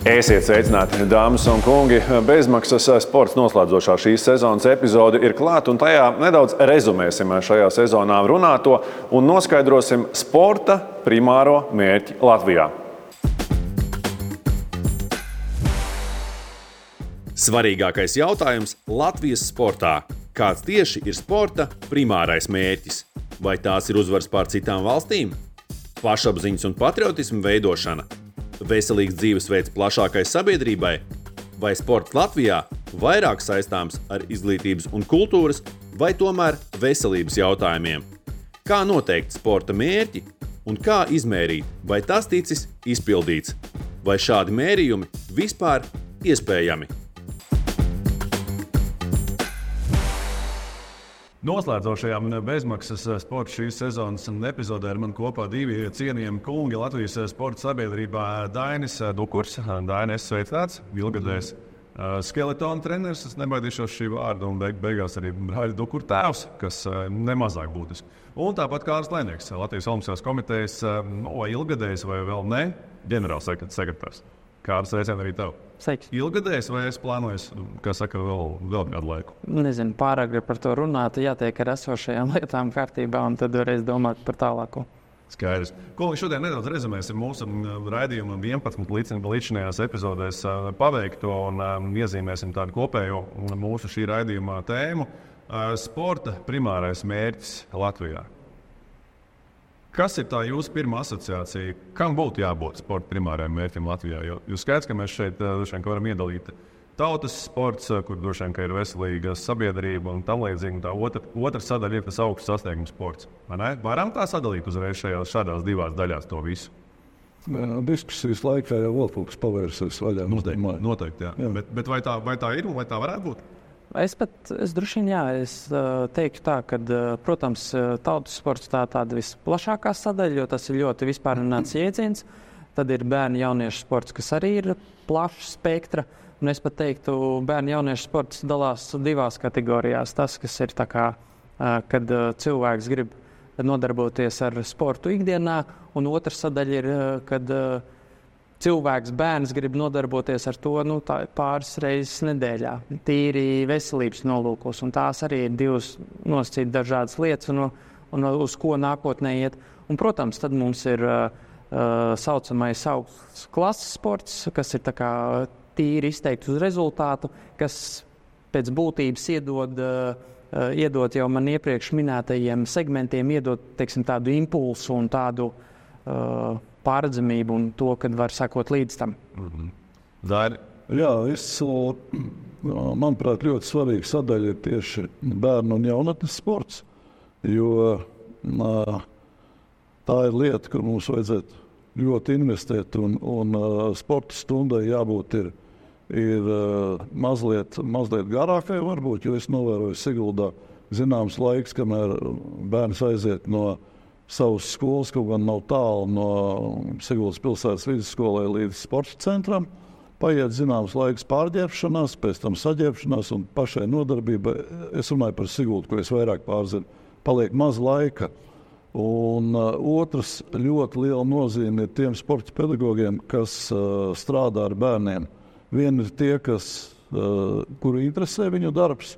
Esiet sveicināti, dāmas un kungi! Bezmaksas sports noslēdzošā šīs sezonas epizode ir klāta, un tajā nedaudz rezumēsim šajā sezonā runāto un noskaidrosim sporta primāro mērķi Latvijā. Svarīgākais jautājums Latvijas sportā. Kāds tieši ir sporta primārais mērķis? Vai tās ir uzvaras pār citām valstīm? Pašapziņas un patriotisma veidošana? Veselīgs dzīvesveids plašākai sabiedrībai, vai sports Latvijā vairāk saistāms ar izglītības un kultūras, vai tomēr veselības jautājumiem? Kā noteikt sporta mērķi un kā izmērīt, vai tas ticis izpildīts? Vai šādi mērījumi vispār iespējami? Noslēdzošajām bezmaksas sporta šīs sezonas epizodē ar mani kopā divi cienījami kungi Latvijas sporta sabiedrībā Dainis Dukurs. Dainis, sveicināts, ilgadējs skeletona treneris, es nebaidīšos šī vārda, un beigās arī Raļa Dukura tēvs, kas nemazāk būtiski. Un tāpat Kārlis Lēnieks, Latvijas Olimpiskās komitejas ilgadējs vai vēl ne, ģenerālsekretārs. Kārlis, sveicien arī tev. Sveiks. Ilgadējs vai es plānoju, kā saka, vēl kādu laiku? Nezinu, pārāk grib par to runāt, jātiek ar esošajām lietām kārtībā, un tad varēs domāt par tālāko. Skaidrs. Kolēģi, šodien nedaudz rezumēsim mūsu raidījumu 11 līdzinājās epizodēs paveikto un iezīmēsim tādu kopējo mūsu šī raidījumā tēmu - sporta primārais mērķis Latvijā. Kas ir tā jūsu pirmā asociācija? Kam būtu jābūt sporta primārajam mērķim Latvijā? Jo jūs skaidrs, ka mēs šeit varam iedalīt tautas sports, kur droši vien ir veselīga sabiedrība un tam līdzīgi. Tā otra sadaļa ir tas augsts sasniegums sports. Varam tā sadalīt uzreiz šādās divās daļās to visu? Diskusijas laikā jau vēl kaut kas pavērsies vaļā. Noteikti, jā. Bet vai tā ir un vai tā varētu būt? Es droši vien, teiktu tā, ka, protams, tautas sports tā tāda visplašākā sadaļa, jo tas ir ļoti vispārināts jēdziens. Tad ir bērnu jauniešu sports, kas arī ir plašs spektra. Un es pat teiktu, bērnu jauniešu sports dalās divās kategorijās. Tas, kas ir tā kā, kad cilvēks grib nodarboties ar sportu ikdienā, un otra sadaļa ir, kad cilvēks, bērns grib nodarboties ar to pāris reizes nedēļā, tīri veselības nolūkos. Un tās arī ir divas nosacīt dažādas lietas, un uz ko nākotnē iet. Un, protams, tad mums ir saucamais augsts klases sports, kas ir tā kā tīri izteikti uz rezultātu, kas pēc būtības iedod jau man iepriekš minētajiem segmentiem, iedod, teiksim, tādu impulsu un tādu pārredzamību un to, kad var sekot līdz tam. Daini? Jā, manuprāt, ļoti svarīga sadaļa ir tieši bērnu un jaunatnes sports, jo tā ir lieta, kur mums vajadzētu ļoti investēt, un sporta stundai jābūt ir mazliet garākai varbūt, jo es novēroju Siguldā zināms laiks, kamēr bērns aiziet no savas skolas, kaut gan nav tālu no Siguldas pilsētas vidusskolai līdz sporta centram. Paiet zināms laiks pārģērbšanās, pēc tam saģērbšanās un pašai nodarbībai. Es runāju par Siguldu, ko es vairāk pārzinu. Paliek maz laika. Un otrs ļoti liela nozīme ir tiem sporta pedagogiem, kas strādā ar bērniem. Vieni ir tie, kuri interesē viņu darbs,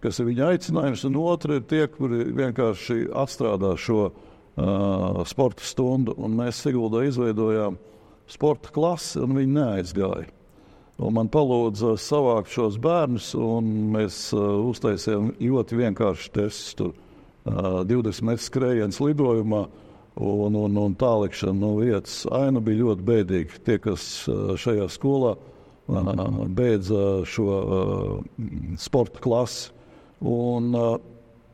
kas ir viņa aicinājums, un otri ir tie, kuri vienkārši atstrādā šo sporta stundu, un mēs Siguldā izveidojām sporta klasi, un viņi neaizgāja. Un man palūdza savākt šos bērnus, un mēs uztaisījām ļoti vienkārši testus tur 20 metru skrējiens lidojumā un tālikšana no vietas. Aina bija ļoti bēdīga. Tie, kas šajā skolā beidza šo sporta klasi. Un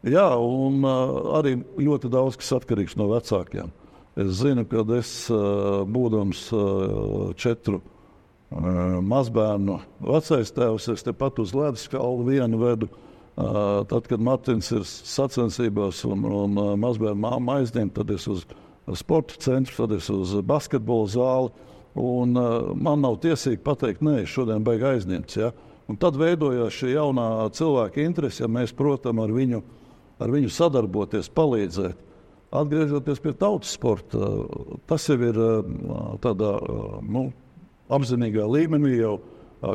arī ļoti daudz, kas atkarīgs no vecākiem. Es zinu, ka es, būdams 4 mazbērnu vecais tēvs, es tepat uz ledus kalnu vienu vedu. Tad, kad Martins ir sacensībās un mazbērnu māma aizņem, tad es uz sporta centru, tad es uz basketbola zāli. Un man nav tiesīgi pateikt, nē, šodien baigi aizņemts. Ja? Un tad veidojās šī jaunā cilvēka interese, ja mēs, protams, ar viņu sadarboties, palīdzēt. Atgriežoties pie tautas sporta, tas jau ir tādā apzinīgā līmenī jau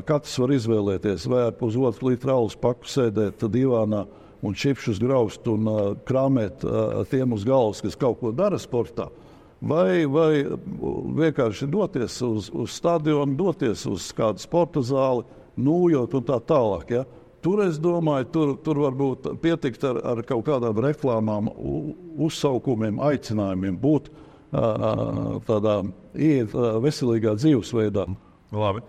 katrs var izvēlēties, vai ar pusotru litru alus paku sēdēt divānā un čipšus graust un krāmēt tiem uz galvas, kas kaut ko dara sportā, vai vienkārši doties uz stadionu, doties uz kādu sporta zāli, nūjot un tā tālāk. Ja? Tur, es domāju, tur varbūt pietikt ar kaut kādām reklāmām, uzsaukumiem, aicinājumiem būt tādā veselīgā dzīvesveidā. Labi.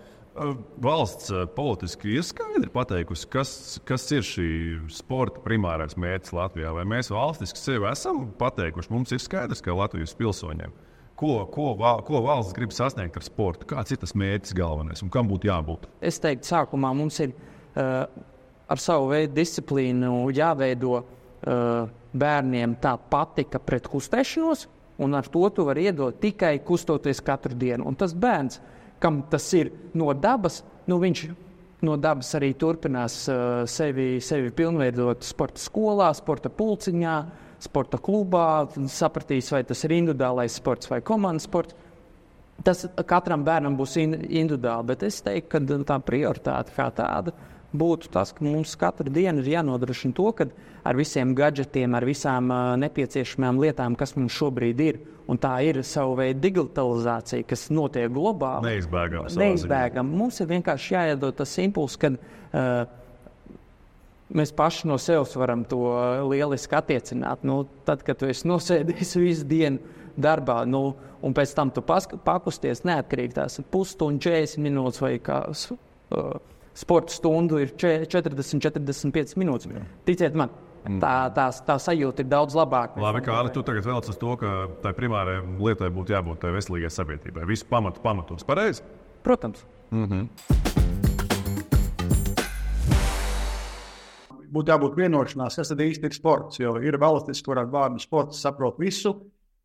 Valsts politiski ir skaidri pateikusi, kas ir šī sporta primārais mērķis Latvijā. Vai mēs valstiski sevi esam pateikuši? Mums ir skaidrs, ka Latvijas pilsoņiem, ko valsts grib sasniegt ar sportu, kāds ir tas mērķis galvenais un kam būtu jābūt? Es teiktu, sākumā mums ir ar savu veidu disciplīnu jāveido bērniem tā patika pret kustēšanos, un ar to tu vari iedot tikai kustoties katru dienu. Un tas bērns, kam tas ir no dabas, viņš no dabas arī turpinās sevi pilnveidot sporta skolā, sporta pulciņā, sporta klubā, sapratīs, vai tas ir individuālais sports vai komandas sports. Tas katram bērnam būs individuāli, bet es teiktu, ka tā prioritāte kā tāda būtu tas, ka mums katru dienu ir jānodrošina to, ka ar visiem gadžetiem, ar visām nepieciešamām lietām, kas mums šobrīd ir, un tā ir savu veidu digitalizācija, kas notiek globāli. Neizbēgama. Mums ir vienkārši jāiedod tas impulss, kad mēs paši no sevis varam to lieliski attiecināt. Tad, kad tu esi nosēdījis visu dienu darbā, un pēc tam tu pakusties neatkarīgi tās pusstunda, 40 minūtes vai kā sporta stundu ir 40-45 minūtes. Jā. Ticiet man, tā sajūta ir daudz labāka. Labi, Kārli, tu tagad velc uz to, ka tai primārai lietai būtu jābūt tai veselīgai sabiedrībai. Visu pamatos. Pareizi? Protams. Būtu jābūt vienošanās, kas tad īsti ir sports, jo ir valstis, kur ar vārdu sports saprot visu,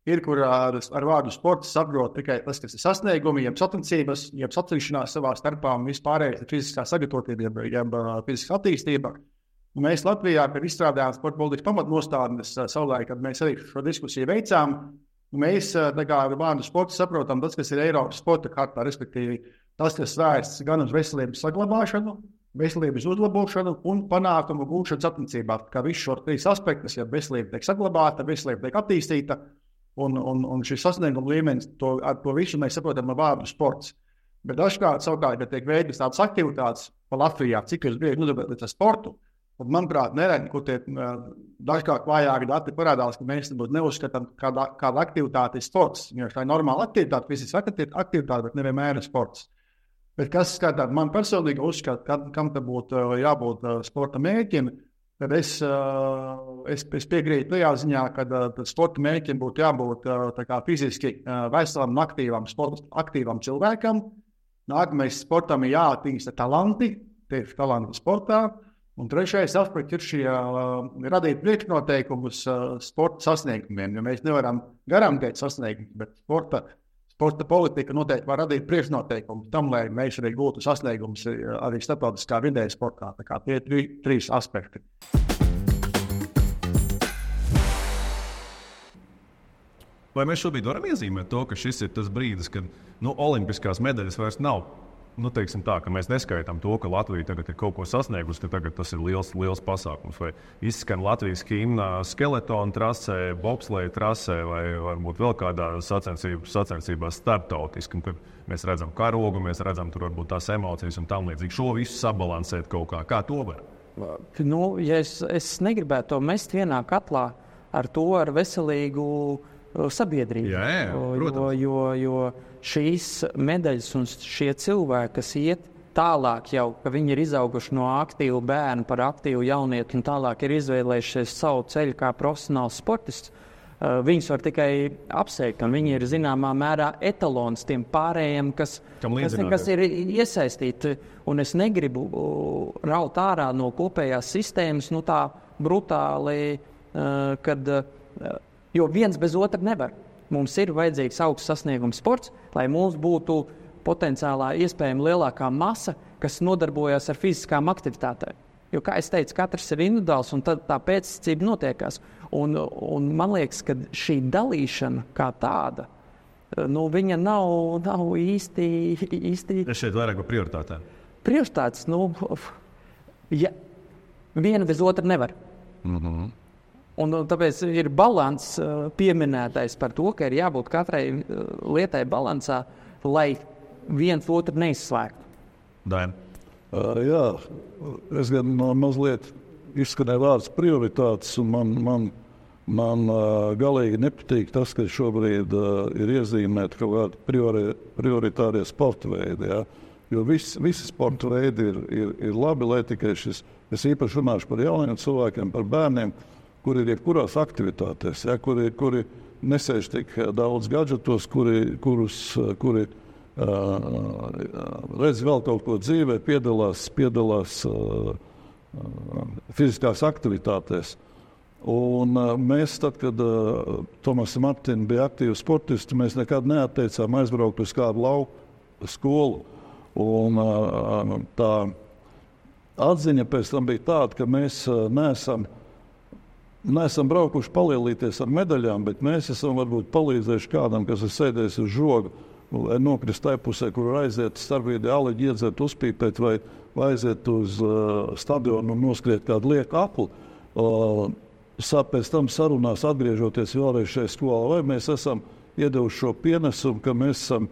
ir, kur ar vārdu sports saprot tikai tas, kas ir sasniegumi, jeb sacensības, jeb sacīšanās savā starpā un vispārējais ir fiziskā sagatavotība, jeb fiziskā attīstība. Un mēs Latvijā, kad izstrādājām sporta politikas pamatnostādnes savulaik, kad mēs arī šo diskusiju veicām, mēs ar vārdu sports saprotam tas, kas ir Eiropas sporta kartā, respektīvi tas, kas vērsts gan uz veselības saglabāšanu, veselības uzlabošanu un panākumu gūšanu sacensībā. Kā visu šo trīs aspektus, ja veselība tiek saglabāta, veselība tiek attīstīta, un šis sasnieguma līmenis, ar to visu mēs saprotam ar vārdu sports. Bet dažkārt, savukārt, ja tiek veidotas tādas aktivitātes pa Latvijā, cik jūs gribētu nodarbināties ar sportu, un, manuprāt, neredz, kur tie dažkārt vājāki dati parādās, ka mēs neuzskatām, kāda aktivitāte ir sports. Jo tā ir normāla aktivitāte, fiziska aktivitāte, bet nevienmēr ir sports. Bet kas skatāt, man personīgi uzskata, kam te būtu jābūt sporta mērķim, tad es piekrītu tajā ziņā, ka sporta mērķim būtu jābūt fiziski veselam un aktīvam cilvēkam. Nākamais sportam ir jāattīsta talanti, tieši talanti sportā. Un trešais aspekts ir šie radīt priekšnoteikumus sporta sasniegumiem, jo mēs nevaram garantēt sasniegumus, bet sporta politika noteikti var radīt priekšnoteikumus tam, lai mēs arī gūtu sasniegumus arī starptautiskā vidē sportā. Tā kā tie ir trīs aspekti. Vai mēs šobrīd varam iezīmēt to, ka šis ir tas brīdis, kad olimpiskās medaļas vairs nav? Teiksim tā, ka mēs neskaitām to, ka Latvija tagad ir kaut ko sasniegusi, ka tagad tas ir liels pasākums. Vai izskan Latvijas himna skeletona trasē, bobsleja trasē vai varbūt vēl kādā sacensībā starptautiski. Mēs redzam karogu, mēs redzam tur varbūt tās emocijas un tam līdzīgi. Šo visu sabalansēt kaut kā to var? Ja es negribētu to mest vienā katlā ar veselīgu sabiedrību. Jā, jo šīs medaļas un šie cilvēki, kas iet tālāk jau, ka viņi ir izauguši no aktīvu bērnu par aktīvu jaunieti un tālāk ir izvēlējušies savu ceļu kā profesionāls sportists, viņus var tikai apsveikt, un viņi ir zināmā mērā etalons tiem pārējiem, kas ir iesaistīti. Un es negribu raut ārā no kopējās sistēmas tā brutāli, jo viens bez otra nevar. Mums ir vajadzīgs augsts sasniegums sports, lai mums būtu potenciālā iespējama lielākā masa, kas nodarbojas ar fiziskām aktivitātēm. Jo, kā es teicu, katrs ir individuāls, un tad tā pēctecība notiekās. Un man liekas, ka šī dalīšana kā tāda viņa nav īsti... Es šeit vairāk par prioritātēm. Prioritātes, ja viena bez otra nevar. Un tāpēc ir balans pieminētais par to, ka ir jābūt katrai lietai balansā, lai viens otru neizslēgtu. Daina. Jā, es gan mazliet izskanēju vārds prioritātes, un man galīgi nepatīk tas, ka šobrīd ir iezīmēti kaut kādi prioritārie sporta veidi. Ja? Jo visi sporta veidi ir labi, lai tikai es īpaši runāšu par jauniem cilvēkiem, par bērniem, kuri ir jebkurās aktivitātēs, ja? kuri nesēž tik daudz gadžetos, kuri redz vēl kaut ko dzīvē, piedalās fiziskās aktivitātēs. Un mēs, tad, kad Tomas un Martina bija aktīvi sportisti, mēs nekad neatteicām aizbraukt uz kādu lauku skolu. Un tā atziņa pēc tam bija tāda, ka mēs neesam braukuši palielīties ar medaļām, bet mēs esam varbūt palīdzējuši kādam, kas ir sēdējis uz žoga, lai nokrist tajā pusē, kur aiziet starpbrīdī āleģi iedzert, uzpīpēt vai aiziet uz stadionu un noskriet kādu lieku apli. Pēc tam sarunās atgriežoties vēlreiz šajā skolā, vai mēs esam iedevuši šo pienesumu, ka mēs esam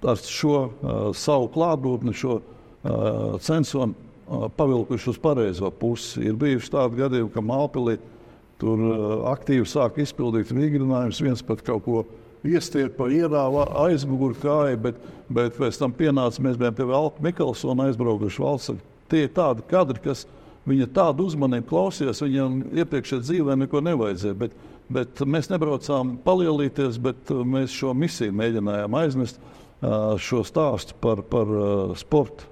ar šo savu klātbūtni, šo censonu pavilkuši uz pareizo pusi. Ir bijuši tādi gadījumi, ka Mālpilī tur aktīvi sāk izpildīt vingrinājumus, viens pat kaut ko iestiet pa ierāvu aizmuguru kāju, bet pēc tam pienāca, mēs bijām pie Valka Mikelsona aizbraukuši valsts. Tie ir tādi kadri, kas viņa tādu uzmanību klausījās, viņam iepriekšējā dzīvē neko nevajadzēja, bet mēs nebraucām palielīties, bet mēs šo misiju mēģinājām aiznest, šo stāstu par sporta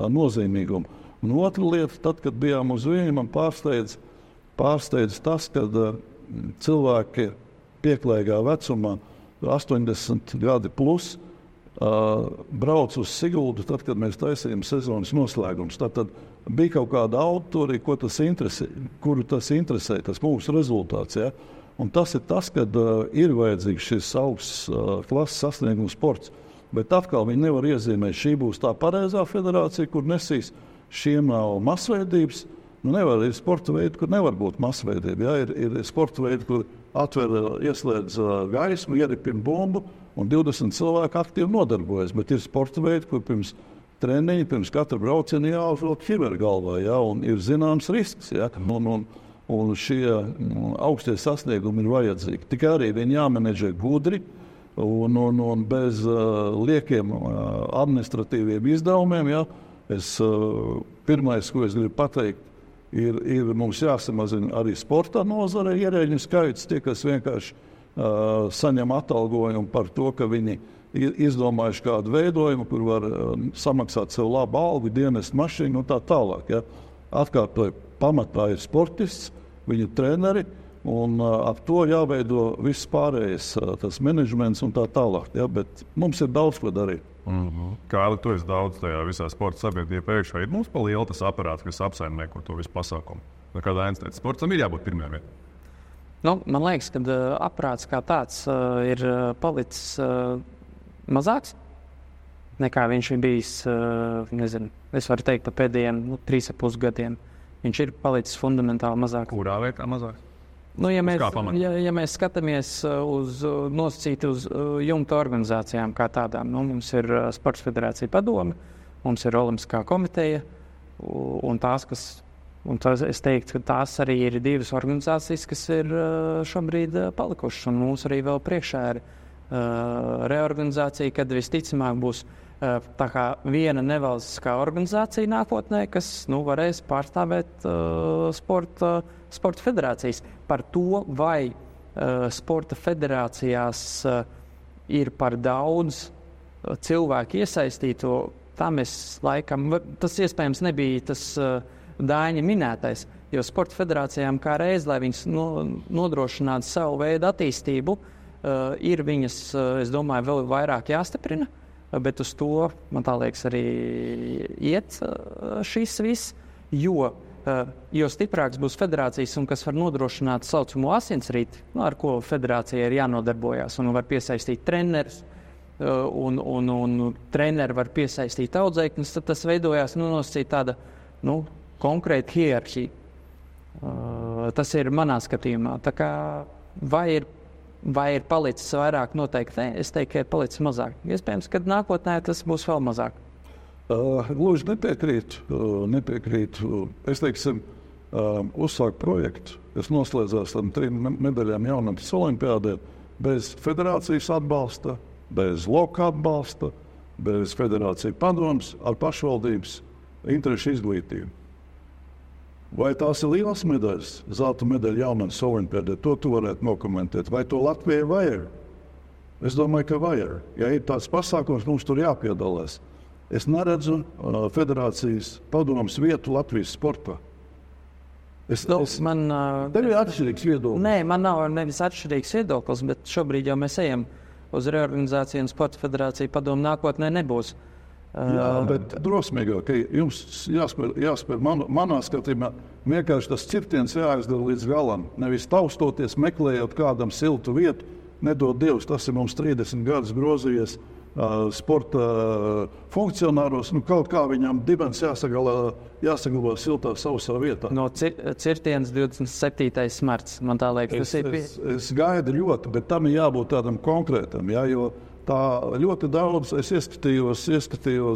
nozīmīgumu. Un otra lieta, tad, kad bijām uz viņu, man pārsteidz tas, kad cilvēki pieklājīgā vecumā, 80 gadi plus, brauc uz Siguldu, tad, kad mēs taisījām sezonas noslēgumus. Tad bija kaut kāda autori, kuru tas interesē, tas mūsu rezultāts. Ja? Un tas ir tas, kad ir vajadzīgs šis augsts klases sasniegums sports. Bet atkal viņi nevar iezīmēt, šī būs tā pareizā federācija, kur nesīs, šiem nav masveidības. Ir sporta veidi, kur nevar būt masveidība. Ja? Ir sporta veidi, kur atver, ieslēdz gaismu, ieripina bumbu, un 20 cilvēki aktīvi nodarbojas. Bet ir sporta veidi, kur pirms treniņa, pirms katra brauciena jāuzvelk ķiveri galvā, ja? Un ir zināms risks. Ja? Un šie augstie sasniegumi ir vajadzīgi. Tikai arī viņi jāmenedžē gudri un bez liekiem administratīviem izdevumiem. Ja? Pirmais, ko es gribu pateikt, ir mums jāsamazina arī sporta nozare ierēģiņu skaits, tie, kas vienkārši saņem atalgojumu par to, ka viņi ir izdomājuši kādu veidojumu, kur var samaksāt sev labu algu, dienestu mašīnu un tā tālāk. Ja? Atkārtoju, pamatā ir sportists, viņu treneri, un ap to jāveido viss pārējais, tas menedžments un tā tālāk. Ja? Bet mums ir daudz ko darīt. Kāli, tu esi daudz tajā visā sporta sabiedrībā iekšā. Ir mums pa liela tas aparāts, kas apsaimnieko to visu pasākumu. Kādā Ainis teica, sportam ir jābūt pirmajā vietā. Man liekas, ka aparāts kā tāds ir palicis mazāks nekā viņš ir bijis, es varu teikt, pa pēdējiem 3,5 gadiem. Viņš ir palicis fundamentāli mazāk. Kurā vietā mazāk? Ja mēs skatāmies nosacīti uz jumta organizācijām kā tādām, mums ir Sports federācija padome, mums ir Olimpiskā komiteja, un es teiktu, ka tās arī ir divas organizācijas, kas ir šobrīd palikušas, un mums arī vēl priekšā ir reorganizācija, kad visticamāk būs tā kā viena nevalstiskā organizācija nākotnē, kas varēs pārstāvēt sporta federācijas. Par to, vai sporta federācijās ir par daudz cilvēku iesaistīto, tam es laikam, tas iespējams nebija tas Dāņa minētais, jo sporta federācijām kā reiz, lai viņas nodrošinātu savu veidu attīstību, ir viņas, es domāju, vēl vairāk jāstiprina, bet uz to, man tā liekas, arī iet šis viss, jo jo stiprāks būs federācijas un kas var nodrošināt saucamo asinsrīti, ar ko federācija ir jānodarbojās un var piesaistīt trenerus, un treneri var piesaistīt audzēkņus, tad tas veidojās nosacīt tāda konkrēta hierarhija. Tas ir manā skatījumā. Tā kā vai ir palicis vairāk, noteikti ne. Es teiktu, ka ir palicis mazāk. Iespējams, ka nākotnē tas būs vēl mazāk. Gluži nepiekrītu. Es teiksim, uzsāku projektu, kas noslēdzās ar 3 medaļām jaunatnes olimpiādē, bez federācijas atbalsta, bez loka atbalsta, bez federācijas padomas, ar pašvaldības interešu izglītību. Vai tās ir lielas medaļas, zelta medaļa jaunatnes olimpiādē, to tu varētu nokomentēt. Vai to Latvijai vajag? Es domāju, ka vajag. Ja ir tāds pasākums, mums tur jāpiedalās. Es neredzu federācijas padomas vietu Latvijas sportā. Tev ir atšķirīgs viedoklis. Nē, man nav nevis atšķirīgs viedoklis, bet šobrīd jau mēs ejam uz reorganizāciju un sporta federāciju padomu nākotnē nebūs. Jā, bet drosmīgāk, ka jums jāspēr manā skatījumā vienkārši tas cirtiens jāizdara līdz galam. Nevis taustoties, meklējot kādam siltu vietu, nedod Dievs, tas ir mums 30 gadus grozījies sporta funkcionāros, kaut kā viņam dibens jāsaglabā siltā sausā vietā. No cirtienas 27. marts, man tā liekas. Es gaidu ļoti, bet tam ir jābūt tādam konkrētam, jo tā ļoti daudz, es ieskatījos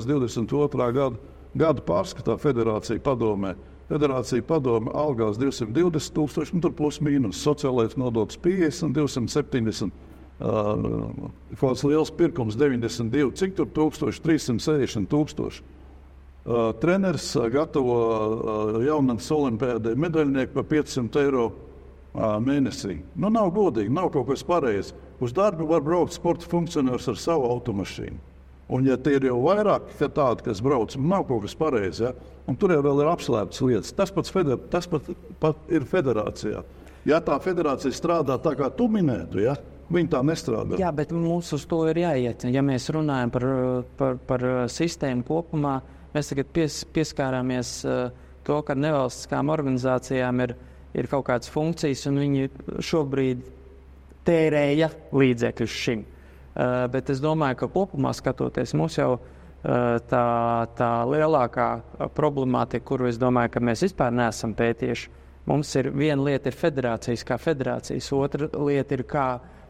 22. gadu pārskatā federācija padomē. Federācija padome algās 220,000, tur plus mīnus, sociālais nodoklis 50, 270. Kāds liels pirkums 92, cik tur 360,000. Treneris gatavo jaunatnes olimpiādē medaļnieku par 500 eiro mēnesī. Nav godīgi, nav kaut kas pareizs. Uz darbu var braukt sporta funkcionārs ar savu automašīnu. Un ja tie ir jau vairāk tādi, kas brauc, nav kaut kas pareizs, ja? Un tur jau vēl ir apslēptas lietas. Tas pat ir federācijā. Ja tā federācija strādā tā, kā tu minētu, ja? Viņi tā nestrādā. Jā, bet mums uz to ir jāiet. Ja mēs runājam par sistēmu kopumā, mēs tagad pieskārāmies to, ka nevalstiskām organizācijām ir kaut kādas funkcijas, un viņi šobrīd tērēja līdzekļus šim. Bet es domāju, ka kopumā skatoties, mums jau tā lielākā problemātika, kuru es domāju, ka mēs vispār neesam pētījuši, mums ir viena lieta ir federācijas kā federācijas, otra lieta ir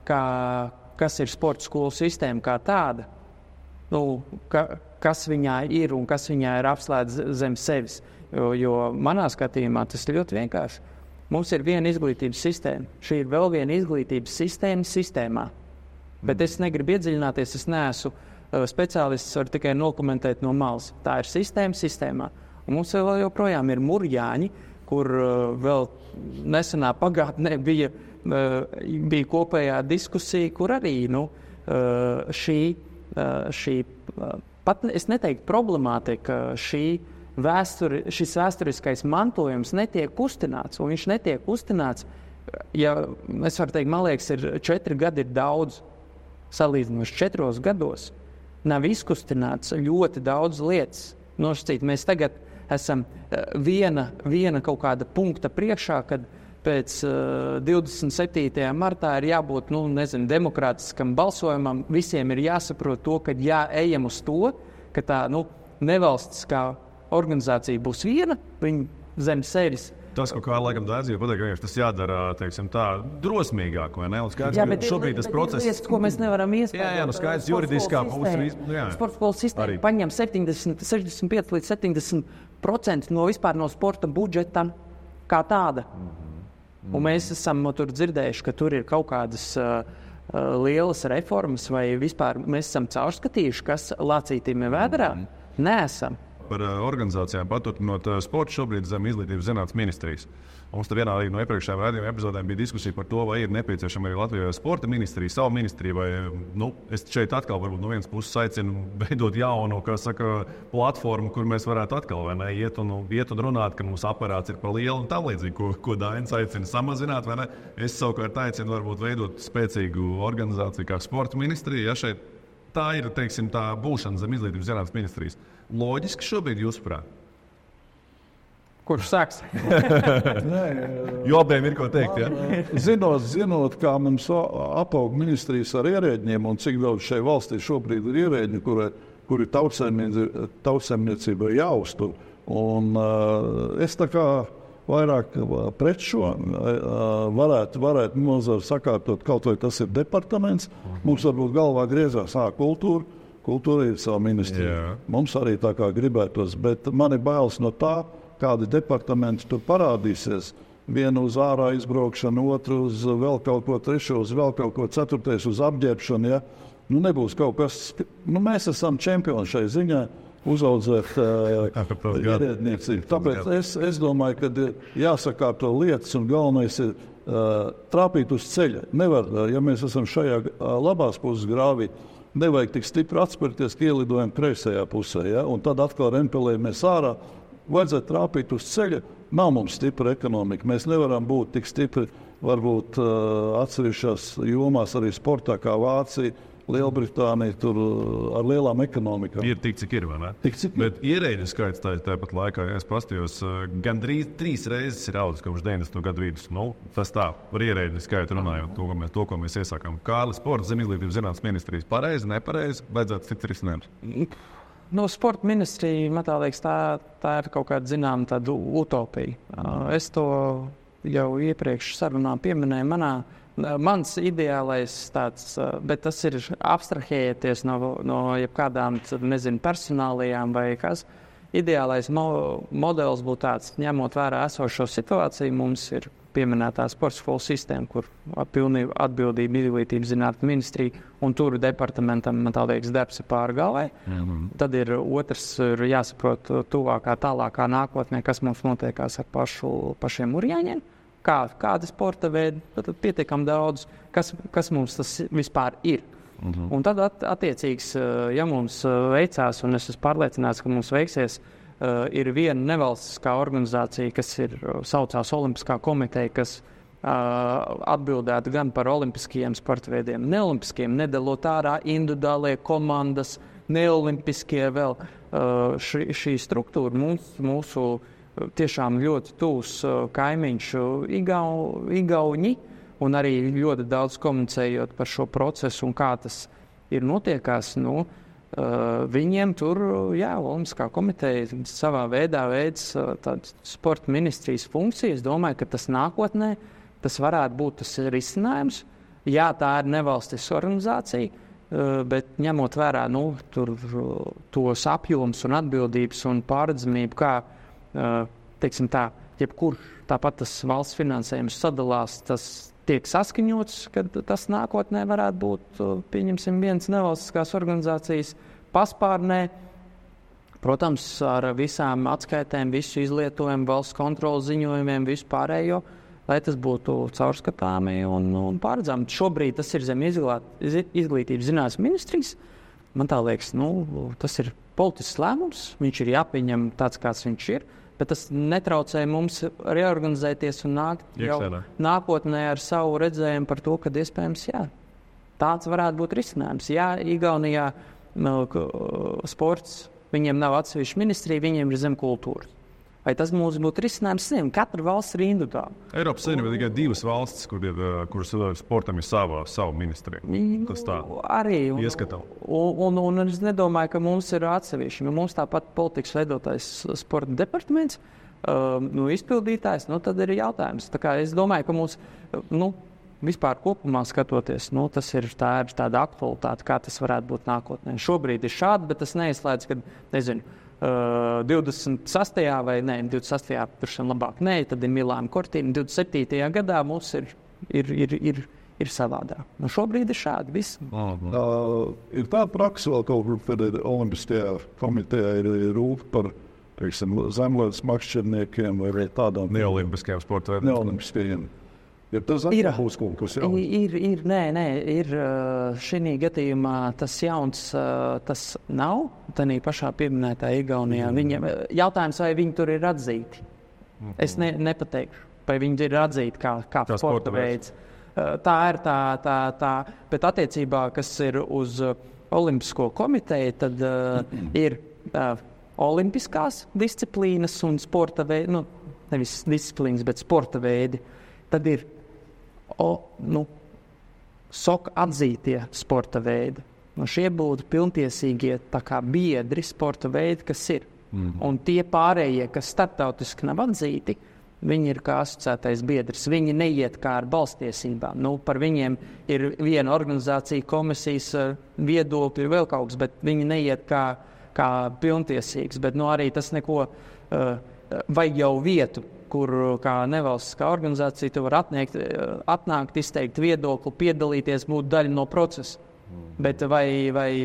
kas ir sporta skolu sistēma kā tāda, kas viņā ir un kas viņā ir apslēdz zem sevis. Jo manā skatījumā tas ir ļoti vienkārši. Mums ir viena izglītības sistēma. Šī ir vēl viena izglītības sistēmā. Bet es negribu iedziļināties, es neesmu speciālists, varu tikai nokomentēt no malas. Tā ir sistēmā. Un mums vēl joprojām ir murjāņi, kur vēl nesenā pagātnē bija kopējā diskusija, kur arī šī pat es neteiktu problemātika, šis vēsturiskais mantojums netiek kustināts, un viņš netiek kustināts, ja es varu teikt, man liekas, 4 gadi ir daudz, salīdzinoši 4 gados nav izkustināts ļoti daudz lietas. Nosacīt, mēs tagad esam viena kaut kāda punkta priekšā, kad pēc 27. martā ir jābūt, demokrātiskam balsojumam. Visiem ir jāsaprot to, ka ejam uz to, ka tā, nevalstiskā organizācija būs viena, viņa zem sevis. Tas, ko laikam daudz jau pateikt, ka tas jādara, teiksim tā, drosmīgāk, vai ne? Un skaidrs, ka šobrīd tas process... Lietas, ko mēs nevaram iespējams. Jā, skaidrs, juridiskā puse. Sporta skolas sistēma paņem 65 līdz 70% no sporta budžeta kā tāda. Un mēs esam tur dzirdējuši, ka tur ir kaut kādas lielas reformas, vai vispār mēs esam caurskatījuši, kas lācītīm ir vēderā. Neesam. Par organizācijām paturpinot sportu šobrīd zem izglītības zinātnes ministrijas. Mums te vienā no iepriekšējām raidījuma epizodēm bija diskusija par to, vai ir nepieciešama arī Latvijā sporta ministrija, savu ministriju, vai es šeit atkal varbūt no vienas puses aicinu veidot jaunu, platformu, kur mēs varētu atkal iet un runāt, ka mums aparāts ir par lielu un tam līdzīgi, ko Dainis aicina samazināt, vai ne? Es savukārt aicinu varbūt veidot spēcīgu organizāciju kā sporta ministrija, ja šeit tā ir, teiksim, tā būšana zem izglītības zinātnes ministrijas. Loģiski šobrīd jūsuprāt? Kurš sāks? Jo abiem ir ko teikt. Ja? Zinot, kā mums apaug ministrijas ar ierēģiem un cik daudz šai valstī šobrīd ir ierēģi, kuri tautsaimniecība jāuztur. Un es tā kā vairāk pret šo varētu nozara sakārtot, kaut vai tas ir departaments. Mums varbūt galvā griezās kultūra ir savu ministriju. Mums arī tā kā gribētos, bet man ir bailes no tā, kādi departamenti tur parādīsies. Vienu uz ārā izbraukšanu, otru uz vēl kaut ko, trešo uz vēl kaut ko, ceturtais uz apģērbšanu. Ja? Nebūs kaut kas. Mēs esam čempioni šai ziņā uzaudzēt ierēdniecību. Tāpēc es domāju, ka jāsakārto lietas un galvenais ir trāpīt uz ceļa. Nevar, ja mēs esam šajā labās puses grāvī, nevajag tik stipri atspērties, ka ielidojam kreisajā pusē. Ja? Un tad atkal rempelējamies ārā. Vajadzētu trāpīt uz ceļa. Nav mums stipra ekonomika. Mēs nevaram būt tik stipri, varbūt atsevišķās jomās arī sportā, kā Vācija, Lielbritānija, tur ar lielām ekonomikām. Ir tik, cik ir, vai ne? Tik, cik Bet ierēģu skaits tāpat laikā, ja es pastījos, gandrīz 3 reizes ir audzis kopš 90. gadu vidus. Tas tā, par ierēģu skaitu runājot, to, ko mēs iesākām. Kārlis Sports, Zem izglītības zinātnes ministrijas. Pareizi, nepareizi, vajadzētu cits risinājums. Sporta ministrija, man liekas, tā ir kaut kāda zināma tāda utopija. Es to jau iepriekš sarunā pieminēju. Mans ideālais tāds, bet tas ir abstrahējoties no jebkādām, personālajām vai kas. Ideālais modelis būtu tāds, ņemot vērā esošo situāciju, mums ir pieminētā sporta skolu sistēma, kur pilnīgi atbildība izglītības zinātnes ministrija un tur departamentam, man liekas, darbs ir pāri galvai. Tad ir otrs, ir jāsaprot tuvākā, tālākā nākotnē, kas mums notiekās ar pašiem urjāņiem, kāda sporta veidi, tad pietiekam daudz, kas mums tas vispār ir. Un tad attiecīgs, ja mums veicās, un es esmu pārliecināts, ka mums veiksies, ir viena nevalstiskā organizācija, kas saucās Olimpiskā komiteja, kas atbildētu gan par olimpiskajiem sporta veidiem, neolimpiskiem, nedalot ārā individuālie komandas, neolimpiskie vēl. Šī struktūra mūsu tiešām ļoti tūs kaimiņš Igauņi, un arī ļoti daudz komunicējot par šo procesu un kā tas ir notiekās. Viņiem tur, Olimpiskā komiteja savā veidā veids tādas sporta ministrijas funkcijas. Es domāju, ka tas nākotnē tas varētu būt tas risinājums. Jā, tā ir nevalstiska organizācija, bet ņemot vērā tos apjomus un atbildības un pārredzamību, kā, teiksim tā, jebkurš tāpat tas valsts finansējums sadalās, tas tiek saskaņots, ka tas nākotnē varētu būt, pieņemsim, viens nevalstiskās organizācijas paspārnē. Protams, ar visām atskaitēm, visu izlietojumu, valsts kontrolas ziņojumiem, visu pārējo, lai tas būtu caurskatāmi un pārredzami. Šobrīd tas ir zem izglītības zinātnes ministrijas. Man tā liekas, tas ir politisks lēmums, viņš ir jāpieņem tāds, kāds viņš ir. Bet tas netraucē mums reorganizēties un nākt jau nākotnē ar savu redzējumu par to, ka iespējams, tāds varētu būt risinājums. Jā, Igaunijā sports, viņiem nav atsevišķa ministrija, viņiem ir zem kultūras. Vai tas mums būtu risinājums? Katra valsts ir individuāla. Eiropas Savienībā tikai 2 valstis, kuras sportam ir savu ministriju. Tas tā arī ieskatām. Un es nedomāju, ka mums ir atsevišķi. Mums tāpat politikas veidotājs sporta departaments, izpildītājs, tad ir jautājums. Tā kā es domāju, ka mums, vispār kopumā skatoties, tas ir tāda aktualitāte, kā tas varētu būt nākotnē. Šobrīd ir šādi, bet tas neizslēdz, ka, 26. vai 26. tur labāk nē, tad ir Milāna Kortīna. 27. gadā mums ir savādāk. Šobrīd ir šādi viss. Ir tāda praksa vēl kaut kur, kad Olimpiskajā komitejā ir rūp par zemlētas makšķerniekiem vai tādām neolimpiskajiem sporta veidiem. Neolimpiskajiem. Ir tas būs kaut kas jauns? Ir šī gadījumā tas jauns, tas nav. Tanī pašā pieminētā Igaunijā. Jautājums, vai viņi tur ir atzīti. Es nepateikšu, vai viņi ir atzīti kā sporta veids. Tā ir tā. Bet attiecībā, kas ir uz Olimpisko komiteju, tad ir olimpiskās disciplīnas un sporta veidi, nevis disciplīnas, bet sporta veidi, tad ir SOK atzītie sporta veidi. Šie būtu pilntiesīgie tā kā biedri sporta veidi, kas ir. Un tie pārējie, kas starptautiski nav atzīti, viņi ir kā asociētais biedrs. Viņi neiet kā ar balstiesībām. Par viņiem ir viena organizācija, komisijas viedokļi, vēl kaut kas, bet viņi neiet kā pilntiesīgs. Bet arī tas neko vajag jau vietu, kur kā nevalstiskā organizācija tu var atnākt, izteikt viedokli, piedalīties, būt daļa no procesa. Bet vai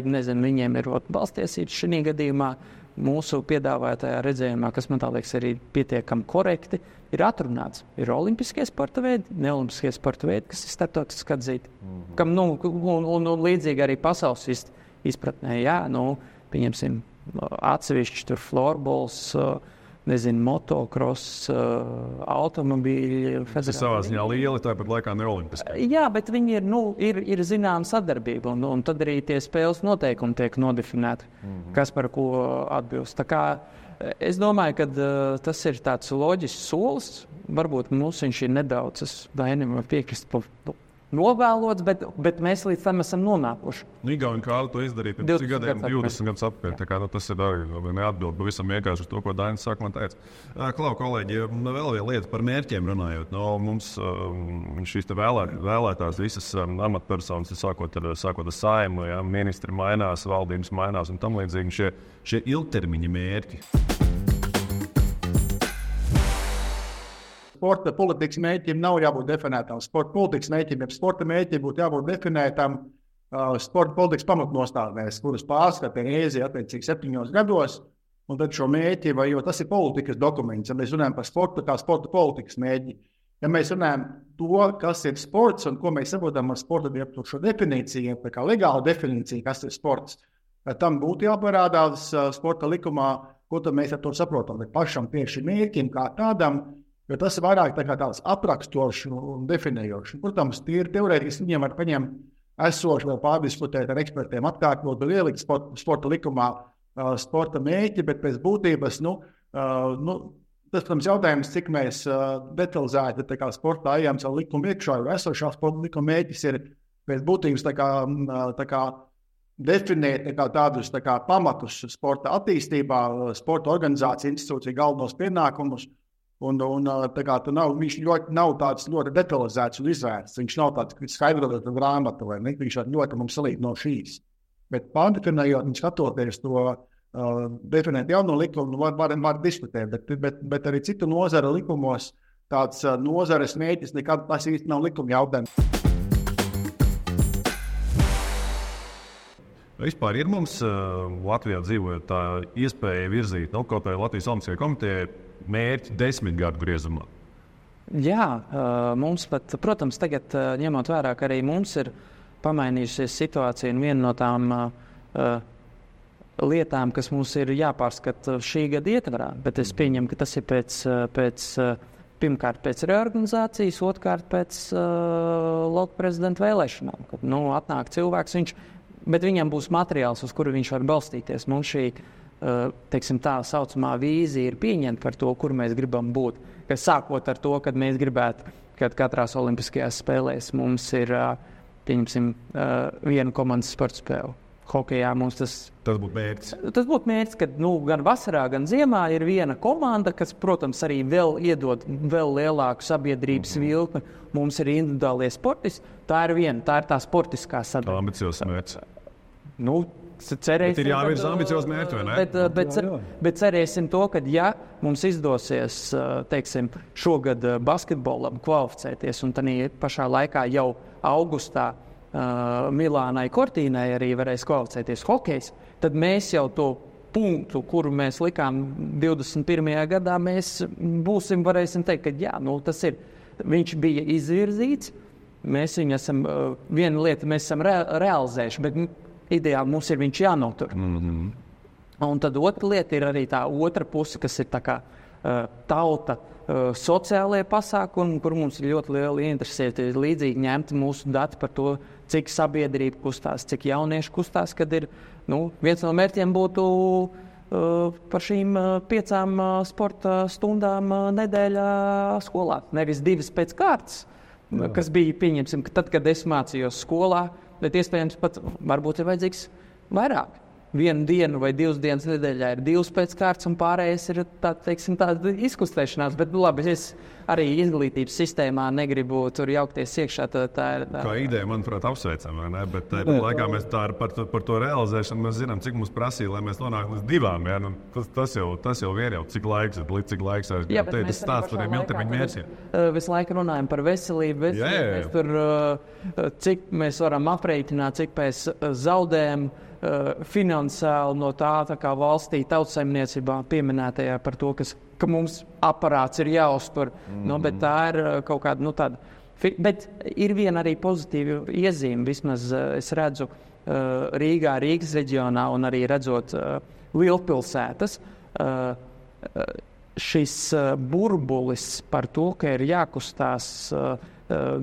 viņiem ir balstiesības šī gadījumā, mūsu piedāvātajā redzējumā, kas man tā liekas arī pietiekami korekti, ir atrunāts. Ir olimpiskie sporta veidi, neolimpiskie sporta veidi, kas ir starptautiski atzīti. Kam, un līdzīgi arī pasaules izpratnē, pieņemsim atsevišķi tur florbols, motocross, automobīļi. Tas ir savā ziņā lieli, tāpat laikā ne olimpiski. Jā, bet viņi ir zināma sadarbība, un tad arī tie spēles noteikumi tiek nodefinēti, kas par ko atbilst. Tā kā es domāju, ka tas ir tāds loģisks solis. Varbūt mums viņš ir nedaudz, es Dainim var piekrist, novēlots, bet mēs līdz tam esam nonākuši. Igauni Kārli to izdarīja pirms 20 gadus atpakaļ. Tā kā tas ir arī neatbild pavisam vienkārši uz to, ko Dainis sākumā teica. Klau, kolēģi, vēl viena lieta par mērķiem runājot. Mums šīs vēlētās visas amatpersonas, sākot ar Saeimu, ministri mainās, valdības mainās un tam līdzīgi šie ilgtermiņa mērķi. Sporta politikas mērķiem nav jābūt definētām. Sporta politikas mērķiem, ja sporta mērķiem būtu jābūt definētām sporta politikas pamatnostādnēs, kuras pārskata reizi attiecīgi 7 gados, un tad šo mērķi, jo tas ir politikas dokuments, ja mēs runājam par sportu kā sporta politikas mērķi. Ja mēs runājam to, kas ir sports un ko mēs saprotam ar sporta šo definīciju, tā kā legāla definīcija, kas ir sports, tam būtu jāparādās sporta likumā, ko tad mēs ar to saprotam, bet pašam tieši mērķim kā tādam, jo tas ir vairāk tāds aprakstošs un definējošs. Protams, tīri teorētiski viņiem var paņemt esoši vēl pārdiskutēt ar ekspertiem, atkārtot un ielikt sporta likumā sporta mērķi, bet pēc būtības, tas, protams, jautājums, cik mēs detalizēti sportā ejam savu likumu iekšā, jo esošā sporta likuma mērķis ir pēc būtības definēt tādus pamatus sporta attīstībā, sporta organizācija, institūcija galvenos pienākumus. Viņš nav tāds ļoti detalizēts un izvērsts. Viņš nav tāds skaidrots grāmata, vai ne? Viņš ļoti mums salīdz no šīs. Bet pārdefinējot, skatoties to definēt jauno likumu, var diskutēt. Bet arī citu nozara likumos tāds nozares mērķis nekad tas īsti nav likuma jautājums. Vispār ir mums Latvijā dzīvojot tā iespēja virzīt kaut vai Latvijas Olimpiskajai komitejai mērķi 10 gadu griezumā? Jā, mums pat, protams, tagad ņemot vērā, ka arī mums ir pamainījusies situācija un viena no tām lietām, kas mums ir jāpārskata šī gada ietvarā, bet es pieņemu, ka tas ir pirmkārt pēc reorganizācijas, otrkārt pēc loka prezidenta vēlēšanām, kad atnāk cilvēks, bet viņam būs materiāls, uz kuru viņš var balstīties. Mums šī tā saucamā vīzija ir pieņemta par to, kur mēs gribam būt. Kas sākot ar to, kad mēs gribētu, kad katrās olimpiskajās spēlēs mums ir, viena komandas sporta spēle. Hokejā mums tas būtu mērķis. Tas būtu mērķis, ka gan vasarā, gan ziemā ir viena komanda, kas, protams, arī vēl iedod vēl lielāku sabiedrības vilkli. Mums ir individuālie sportisti. Tā ir tā sportiskā sadaļa. Ambiciozs mērķis. Cerēsim, bet ir jāvirza ambiciozi mērķi, vai ne? Bet cerēsim to, ka mums izdosies, šogad basketbolam kvalificēties, un tad pašā laikā jau augustā Milānai Cortīnai arī varēs kvalificēties hokejs, tad mēs jau to punktu, kuru mēs likām 21. gadā, mēs varēsim teikt, ka tas ir. Viņš bija izvirzīts, mēs viņu esam, viena lieta mēs esam realizējuši, bet ideāli mums ir viņš jānotur. Un tad otra lieta ir arī tā otra puse, kas ir tā kā tauta sociālajie pasākumi, kur mums ir ļoti liela interesēta līdzīgi ņemti mūsu dati par to, cik sabiedrība kustās, cik jaunieši kustās, kad ir, viens no mērķiem būtu par šīm 5 sporta stundām nedēļā skolā. Nevis 2 pēc kārtas, kas bija, pieņemsim, ka tad, kad es mācījos skolā, bet iespējams pat varbūt ir vajadzīgs vairāk. 1 dienu vai 2 dienas nedēļā ir 2 pēc kārtas, un pārējais ir tāda izkustēšanās. Bet labi, es arī izglītības sistēmā negribu tur jaukties iekšā. Tā ir kā ideja, manuprāt, apsveicama, vai ne? Bet laikā mēs tā par to realizēšanu mēs zinām, cik mums prasīja, lai mēs nonāktu līdz 2. Ja? Nu, tas jau vien jau cik laiks ir, līdz cik laiks ir. Tas stāsts par tiem ilgtermiņa mērķiem. Visu laiku runājam par veselību. Mēs tur, cik mēs varam aprēķināt, cik mēs zaudējam finansiāli no tā kā valstī tautsaimniecībā pieminētajā par to, ka mums aparāts ir jāuztur. Bet tā ir kaut kāda tāda. Bet ir viena arī pozitīva iezīme. Vismaz es redzu Rīgā, Rīgas reģionā un arī redzot lielpilsētas. Šis burbulis par to, ka ir jākustās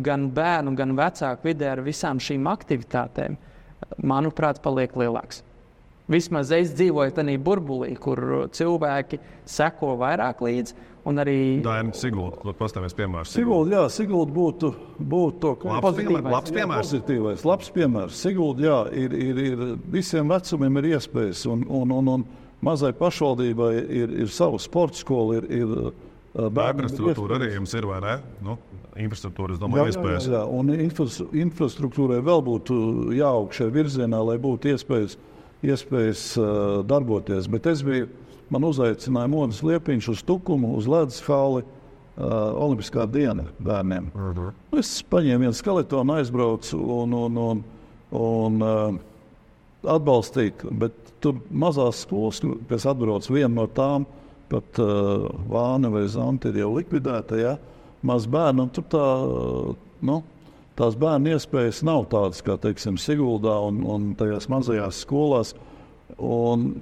gan bērnu, gan vecāku vidē ar visām šīm aktivitātēm, manuprāt, paliek lielāks. Vismaz es dzīvoju tādā burbulī, kur cilvēki seko vairāk līdzi. Un arī Sigulda, pastāvēs piemērs. Sigulda būtu labs piemērs. Sigulda, ir visiem vecumiem ir iespējas, un mazai pašvaldībai ir savu sporta skolu, ir infrastruktūra arī jums ir, vai ne? Infrastruktūra, es domāju, iespējas. Jā, un infrastruktūrai vēl būtu jāaug šajā virzienā, lai būtu iespējas darboties. Bet man uzaicināja Monis Liepiņš uz Tukumu, uz ledus halli, Olimpiskā diena bērniem. Es paņēmu vienu skeletonu, aizbraucu un atbalstīju, bet tur mazās skolas, kas atbrauc viena no tām, pat Vāne vai Zanta ir jau likvidēta, ja? Maz bērnu, un tur tās bērnu iespējas nav tādas, kā, teiksim, Siguldā un tajās mazajās skolās. Un,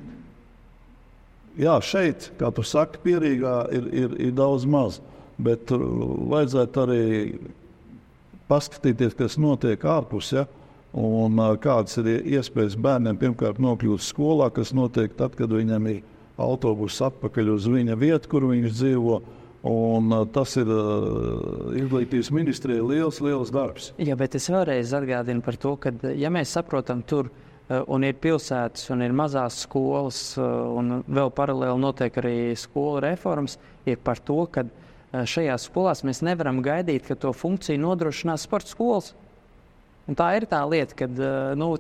šeit, kā tu saki, Pierīgā ir daudz maz, bet vajadzētu arī paskatīties, kas notiek ārpus, ja? Un kādas ir iespējas bērniem pirmkārt nokļūt skolā, kas notiek tad, kad viņam ir autobuss atpakaļ uz viņa vietu, kur viņš dzīvo. Un tas ir izglītības ministrijai liels darbs. Jā, bet es vēlreiz atgādinu par to, ka, ja mēs saprotam tur, un ir pilsētas, un ir mazās skolas, un vēl paralēli notiek arī skolu reformas, ir par to, ka šajās skolās mēs nevaram gaidīt, ka to funkciju nodrošinās sporta skolas. Un tā ir tā lieta, ka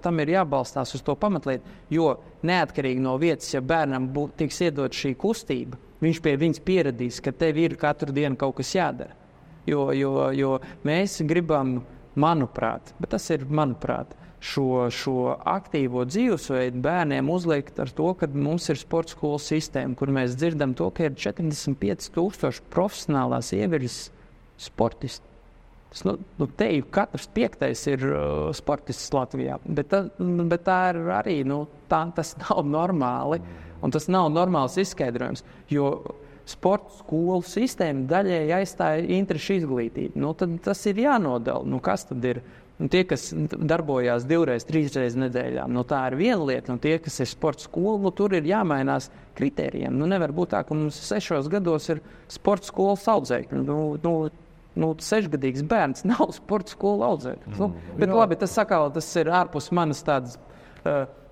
tam ir jābalstās uz to pamatlietu, jo neatkarīgi no vietas, ja bērnam tiks iedot šī kustība, viņš pie viņas pieradīs, ka tev ir katru dienu kaut kas jādara. Jo mēs gribam, manuprāt, bet tas ir manuprāt, šo aktīvo dzīvesveidu bērniem uzliekt ar to, ka mums ir sporta skolu sistēma, kur mēs dzirdam to, ka ir 45,000 profesionālās ievirzes sportisti. Teju katrs 5. ir sportists Latvijā, bet tā ir arī, tas nav normāli, un tas nav normāls izskaidrojums, jo sporta skolu sistēma daļēji aizstāja interešu izglītību. Tad tas ir jānodala. Kas tad ir? Tie, kas darbojās 2-3 nedēļā, tā ir viena lieta, un tie, kas ir sporta skola, tur ir jāmainās kritērijiem. Nevar būt tā, ka mums 6 gados ir sporta skolas audzēkļi. 6-gadīgs bērns nav sporta skola audzēkļi. Bet labi, tas ir ārpus manas tādas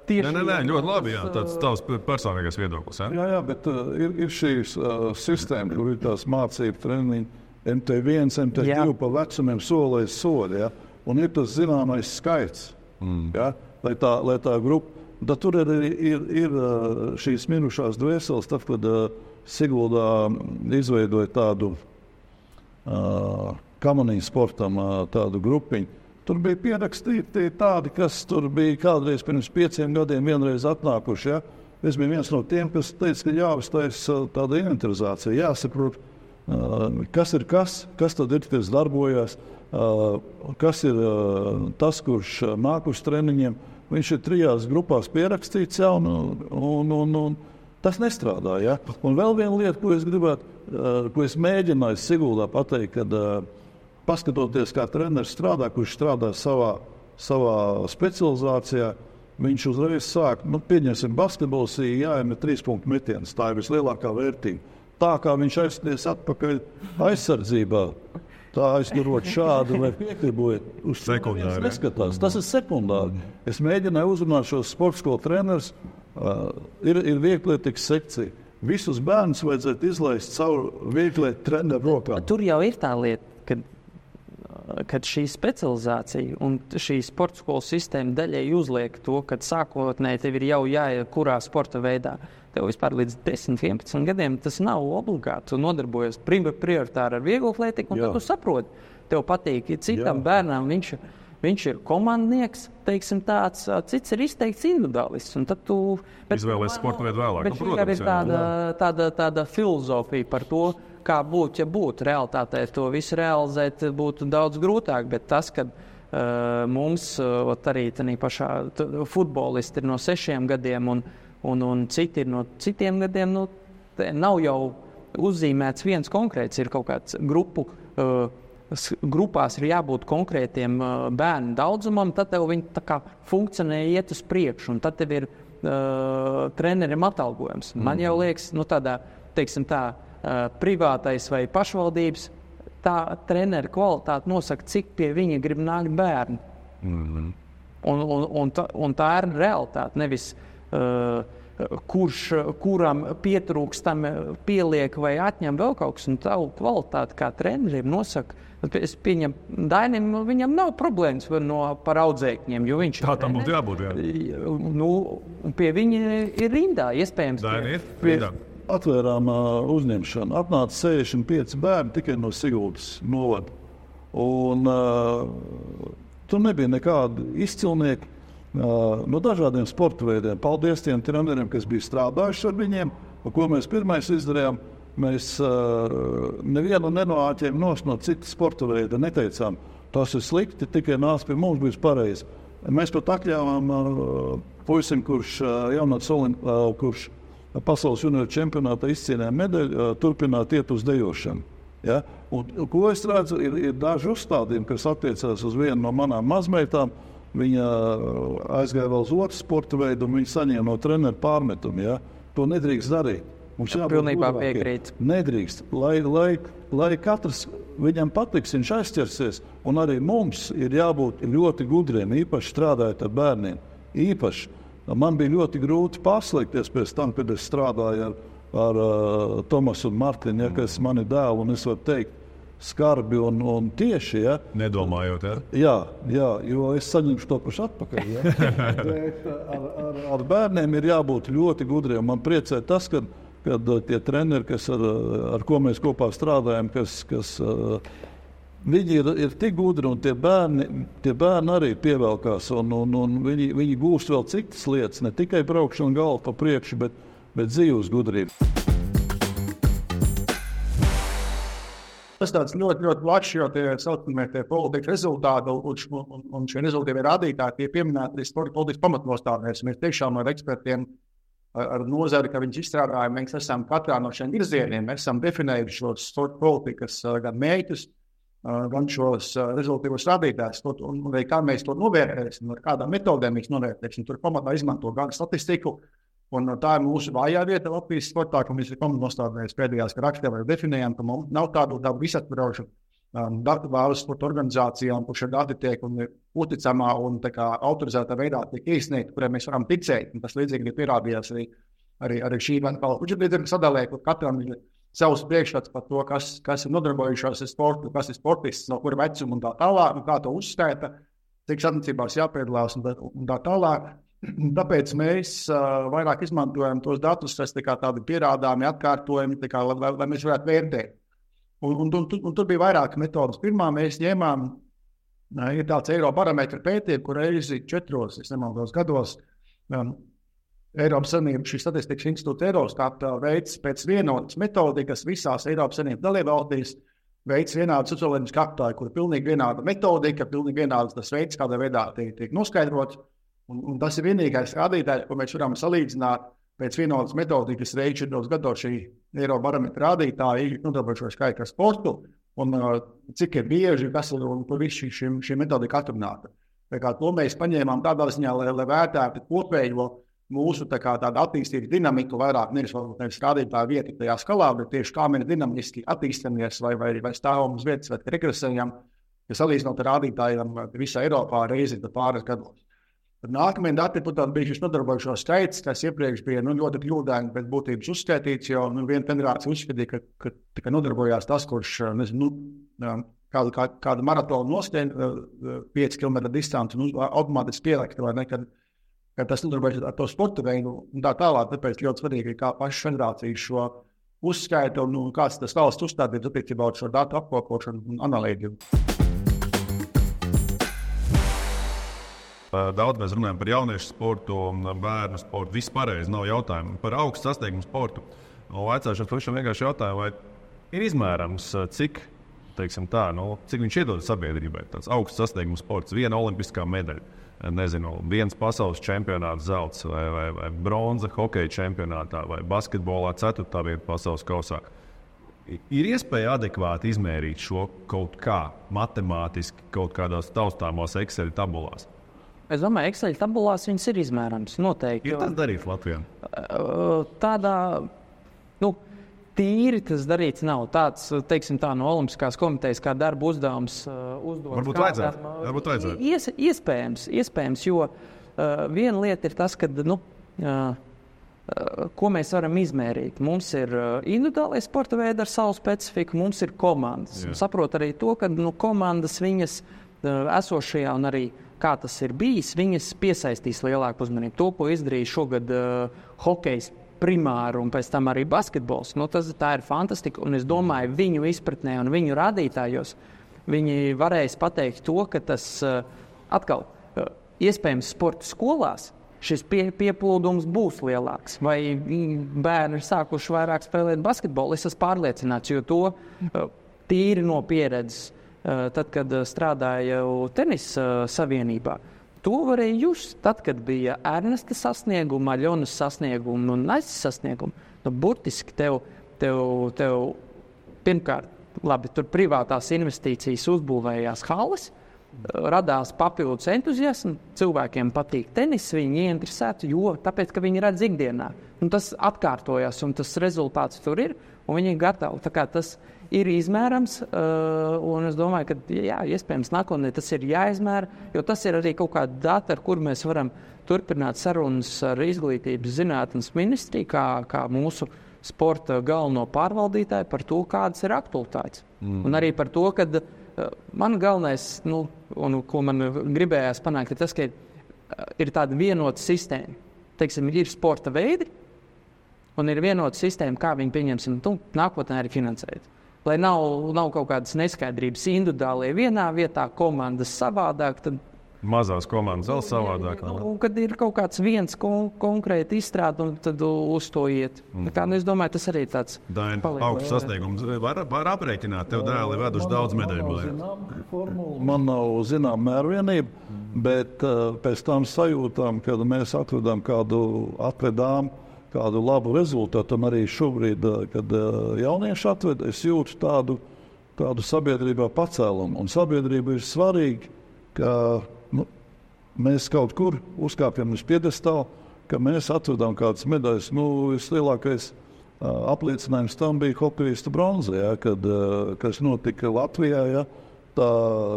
tieši... Nē, ļoti labi, jā, tāds tavs personīgais viedoklis. Jā, bet ir šīs sistēma, kur ir tās mācību treniņi, MT1, MT2 pa vecumiem solēs sodi, ja? Un ir tas zināmais skaits, ja? lai tā grupa... Tad tur ir šīs minušās dvēseles, tad, kad Siguldā izveidoja tādu kamanīnu sportam tādu grupiņu. Tur bija pierakstīti tādi, kas tur bija kādreiz pirms 5 gadiem vienreiz atnākuši. Ja? Es biju viens no tiem, kas teica, ka jāuztais tāda inventarizācija, jāsaprot, kas ir kas tad ir, kas darbojas, kas ir tas, kurš nāk uz treniņiem. Viņš ir 3 grupās pierakstīts jau, un tas nestrādā. Ja? Un vēl viena lieta, ko es mēģināju Siguldā pateikt, kad paskatoties, kā treneris strādā, kurš strādā savā specializācijā, viņš uzreiz sāk, pieņemsim, basketbols jāiemet 3-punktu metienus. Tā ir vislielākā vērtība. Tā kā viņš aizsties atpakaļ aizsardzībā, tā aizturot šādu vai piekribojot uz sekundāri. Neskatās. Tas ir sekundāri. Es mēģināju uzrunāt šos sporta skolu trenerus. Ir vieglietīgs sekcija. Visus bērnus vajadzētu izlaist caur vieglietu treneru rokām. Tur jau ir tā lieta, kad šī specializācija un šī sporta skolu sistēma daļai uzliek to, ka sākotnēji tev ir jau jāiet kurā sporta veidā. Tev vispār līdz 10, 11 gadiem tas nav obligāti. Tu nodarbojies prioritāri ar vieglu atlētiku, un tad tu saproti, tev patīk. Ja citam bērnam viņš ir komandnieks, teiksim tāds, cits ir izteikts individuālists. Un tad tu izvēlēs sporta veidu vēlāk. Bet protams, ir tāda filozofija par to, kā būtu, ja būtu realitātē. To visu realizēt būtu daudz grūtāk, bet tas, ka mums arī tādā pašā futbolisti ir no 6 gadiem un citi ir no citiem gadiem, nav jau uzzīmēts viens konkrēts, ir kaut kāds grupās ir jābūt konkrētiem bērnu daudzumam, tad tev viņi tā kā funkcionē iet uz priekšu, un tad tev ir trenerim atalgojums. Man jau liekas, tādā, teiksim tā, privātais vai pašvaldības, tā trenera kvalitāte nosaka, cik pie viņa grib nākt bērni. Un tā ir realitāte, nevis kuram pietrūkstam pieliek vai atņem vēl kaut kas, un tavu kvalitāti kā trenerim nosaka. Es pieņemu, Dainim, viņam nav problēmas par audzēkņiem, jo viņš tā tam būtu jābūt, jā. Pie viņa ir rindā, iespējams. Daini ir rindā. Atvērām uzņemšanu. Atnāca 65 bērni tikai no Siguldas novada. Un tur nebija nekādi izcilnieki no dažādiem sporta veidiem. Paldies tiem treneriem, kas bija strādājuši ar viņiem. Ko mēs pirmais izdarījām? Mēs nevienu nenoāķējām no citas sporta veida. Neteicām, tas ir slikti, tikai nāc pie mums, būs pareizi. Mēs pat atļāvām puisim, kurš kurš pasaules junioru čempionātā izcīnīja medaļu, turpināt iet uz dejošanu. Ja? Un, ko es redzu, ir daži uzstādījumi, kas attiecās uz vienu no manām mazmeitām. Viņa aizgāja vēl uz otru sporta veidu, un viņa saņēma no treneru pārmetumu. Ja? To nedrīkst darīt. Mums pilnībā piekrīt. Nedrīkst. Lai katrs viņam patiks, viņš aizķersies, un arī mums ir jābūt ļoti gudriem, īpaši strādājot ar bērniem. Īpaši. Man bija ļoti grūti pārslēgties pēc tam, kad es strādāju ar Tomasu un Martinu, ja, kas mani dēlu, un es varu teikt, skarbi un tieši. Ja. Nedomājot, ja? Jā, jo es saņemšu to pašu atpakaļ. Ja. Bet ar bērniem ir jābūt ļoti gudriem. Man priecē tas, kad tie treneri, ar ko mēs kopā strādājam, kas viņi ir tik gudri, un tie bērni arī pievelkās, un viņi gūst vēl citas lietas, ne tikai braukšanu galvu pa priekšu, bet dzīves gudrību. Tas tāds ļoti, ļoti plašs, jo tie saucamie politikas rezultāti un šie rezultāti rādītāji, tie pieminēti sporta politikas pamatnostādnēs. Mēs tiešām ar ekspertiem, ar nozari, ka viņus izstrādājam, mēs esam katrā no šiem virzieniem, mēs esam definējuši šos sporta politikas gan mērķus, gan šos rezultātus rādītājus, un arī kā mēs to novērtēsim, ar kādām metodēm mēs novērtēsim. Tur pamatā izmanto gan statistiku, un tā ir mūsu vājā vieta Latvijas sportā, ka mēs ir pamatnostādnēs pēdējās rakstā vai definējam, ka mums nav tādu visatvarošu datu bāzes sporta organizācijām, kur šie dati tiek uzticamā un autorizētā veidā tiek iesniegti, kuriem mēs varam ticēt. Un tas līdzīgi ir pierādījās arī šī budžeta sadalē, kur katram ir savs priekšstats par to, kas ir nodarbojušās ar sportu, kas ir sportists, no kura vecuma un tā tālāk, un kā to uzskaita, cik sacensībās jāpiedalās un tā tālāk. Tāpēc mēs vairāk izmantojam tos datus, kas tādi pierādāmi, atkārtojami, lai mēs varētu vērtēt. Un tur bija vairākas metodas. Pirmā mēs ņēmām, ir tāds Eirobarometra pētījums, kur reizi 4 gados Eiropas Savienības šī statistikas institūta Eurostat veids pēc vienotas metodikas visās Eiropas Savienības dalībvalstīs, veids vienādu socioloģisku aptauju, kur ir pilnīgi vienāda metodika, pilnīgi vienāds tas veids, kādā veidā tiek noskaidrots. Un tas ir vienīgais rādītājs, ko mēs varam salīdzināt pēc vienotas metodikas reizi 4 gados šī Eirobarometra rādītāji nodarbojušos skaitļu ar sportu un cik ir bieži, kas ir un kur viss šī metodika atrunāta. To mēs paņēmām tādā ziņā, lai vērtētu kopējo mūsu tādu attīstības dinamiku, vairāk nevis rādītāju vietu tajā skalā, bet tieši kā mēs dinamiski attīstamies vai stāvam uz vietas, vai regresējam, ja salīdzinot ar rādītājiem visā Eiropā reizi pāris gados. Nākamie dati, protams, bija šis nodarbojušo skaits, kas iepriekš bija ļoti kļūdaini pēc būtības uzskaitīts, jo viena federācija uzskatīja, ka tikai nodarbojās tas, kurš, kādu maratonu noskrien 5 km distanci un automātiski pielikt, vai ne, kad tas nodarbojas ar to sporta veidu un tā tālāk. Tāpēc ļoti svarīgi, kā paša federācija šo uzskaita un kāds tas valsts uzstādījums attiecībā uz šo datu apkopošanu un analītiku. Daudz mēs runājam par jauniešu sportu, bērnu sportu, viss pareizi, nav jautājumu. Par augstu sasniegumu sportu. Vaicāšana pavisam vienkārši jautājumu, vai ir izmērams, cik viņš iedod sabiedrībai. Tāds augsts sasniegums sports, viena olimpiskā medaļa, viens pasaules čempionāts zelts vai bronza hokeja čempionātā vai basketbolā 4. vieta pasaules kausā. Ir iespēja adekvāti izmērīt šo kaut kā matemātiski, kaut kādās taustāmos Excel tabulās? Es domāju, Excel tabulās viņas ir izmērams, noteikti. Ir tas darīts Latvijā? Tādā, tīri tas darīts nav. Tāds, teiksim tā, no Olimpiskās komitejas kā darba uzdevums uzdot. Varbūt vajadzētu. Iespējams, jo viena lieta ir tas, ka, ko mēs varam izmērīt. Mums ir individuālie sporta veidi ar savu specifiku, mums ir komandas. Saprot arī to, ka komandas viņas esošajā un arī kā tas ir bijis, viņas piesaistīs lielāku uzmanību. To, ko izdarīja šogad hokejs primāri un pēc tam arī basketbols, tā ir fantastika. Un es domāju, viņu izpratnē un viņu rādītājos viņi varēs pateikt to, ka tas atkal iespējams sporta skolās šis pieplūdums būs lielāks. Vai bērni ir sākuši vairāk spēlēt basketbolu? Es esmu pārliecināts, jo to tīri no pieredzes. Tad, kad strādāju tenisa savienībā, to varēja just. Tad, kad bija Ernesta sasnieguma, Aļonas sasnieguma un Aizs sasnieguma, burtiski tev pirmkārt, labi, tur privātās investīcijas uzbūvējās halles, radās papildus entuziasmu, cilvēkiem patīk tenis, viņi ieinteresēti, tāpēc, ka viņi redz ikdienā. Un tas atkārtojās, un tas rezultāts tur ir, un viņi ir gatavi. Tā kā tas ir izmērams, un es domāju, ka iespējams nākotnē tas ir jāizmēra, jo tas ir arī kaut kāda data, ar kur mēs varam turpināt sarunas ar Izglītības zinātnes ministriju, kā mūsu sporta galveno pārvaldītāju par to, kādas ir aktualitātes. Un arī par to, ka man galvenais, un ko man gribējās panākt, ir tas, ka ir tāda vienota sistēma. Teiksim, ir sporta veidi, un ir vienota sistēma, kā viņi pieņemsim, nākotnē arī finansēt. Lai nav kaut kādas neskaidrības individuālie vienā vietā, komandas savādāk, tad mazās komandas vēl savādāk. Kad ir kaut kāds viens konkrēti izstrāde, un tad uz to iet. Es domāju, tas arī tāds augsts sasniegums. Var aprēķināt, tev dēli veduši daudz medaļu. Man nav zinām mērvienība, bet pēc tam sajūtām, kad mēs atvedām kādu labu rezultātu, un arī šobrīd, kad jaunieši atved, es jūtu tādu sabiedrībā pacēlumu. Un sabiedrība ir svarīga, ka mēs kaut kur uzkāpjam uz piedestāla, ka mēs atvedām kādas medaļas. Vislielākais apliecinājums tam bija hokejista bronza, kas notika Latvijā. Tā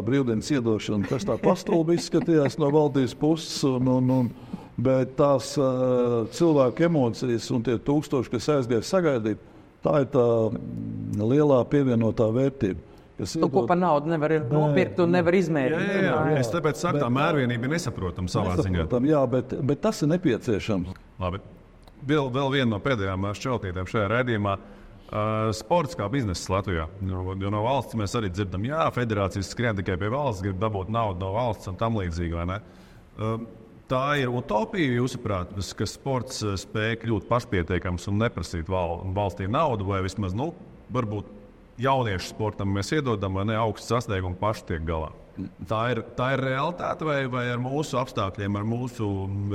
brīvdienas iedošana, kas tā pastulbi izskatījās no valdības puses, bet tās cilvēku emocijas un tie tūkstoši, kas aizgāja sagaidīt, tā ir tā lielā pievienotā vērtība. Ko par naudu nevar nopirkt un nevar izmērīt. Jā. Es tāpēc saku, tā mērvienība ir nesaprotama savā ziņā. Jā, bet tas ir nepieciešams. Labi. Vēl viena no pēdējām šķautnītēm šajā raidījumā. Sports kā bizness Latvijā. Jo no valsts mēs arī dzirdam, federācijas skrien tikai pie valsts, grib dabūt naudu no valsts un tam līdzīgi, vai ne? Tā ir utopija, jūsuprāt, ka sports spēj kļūt pašpietiekams un neprasīt valstī naudu, vai vismaz, varbūt jauniešu sportam mēs iedodam, vai ne, augstu sasniegumu paši tiek galā. Tā ir realitāte, vai ar mūsu apstākļiem, ar mūsu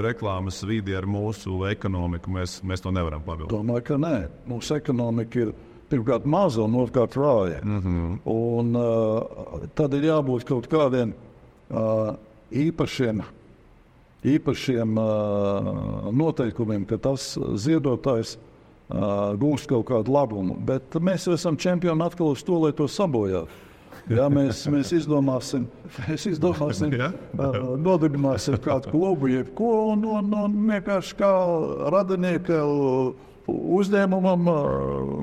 reklāmas vidi, ar mūsu ekonomiku mēs to nevaram pabildīt? Domāju, ka nē. Mūsu ekonomika ir pirmkārt maza un otrkārt vāja. Un tad ir jābūt kaut kādiem īpašiem noteikumiem, ka tas ziedotājs gūst kaut kādu labumu. Bet mēs jau esam čempioni atkal uz to, lai to sabojātu. Ja, mēs izdomāsim, nodibināsim kādu klubu, jebko, un vienkārši kā radinieka uzņēmumam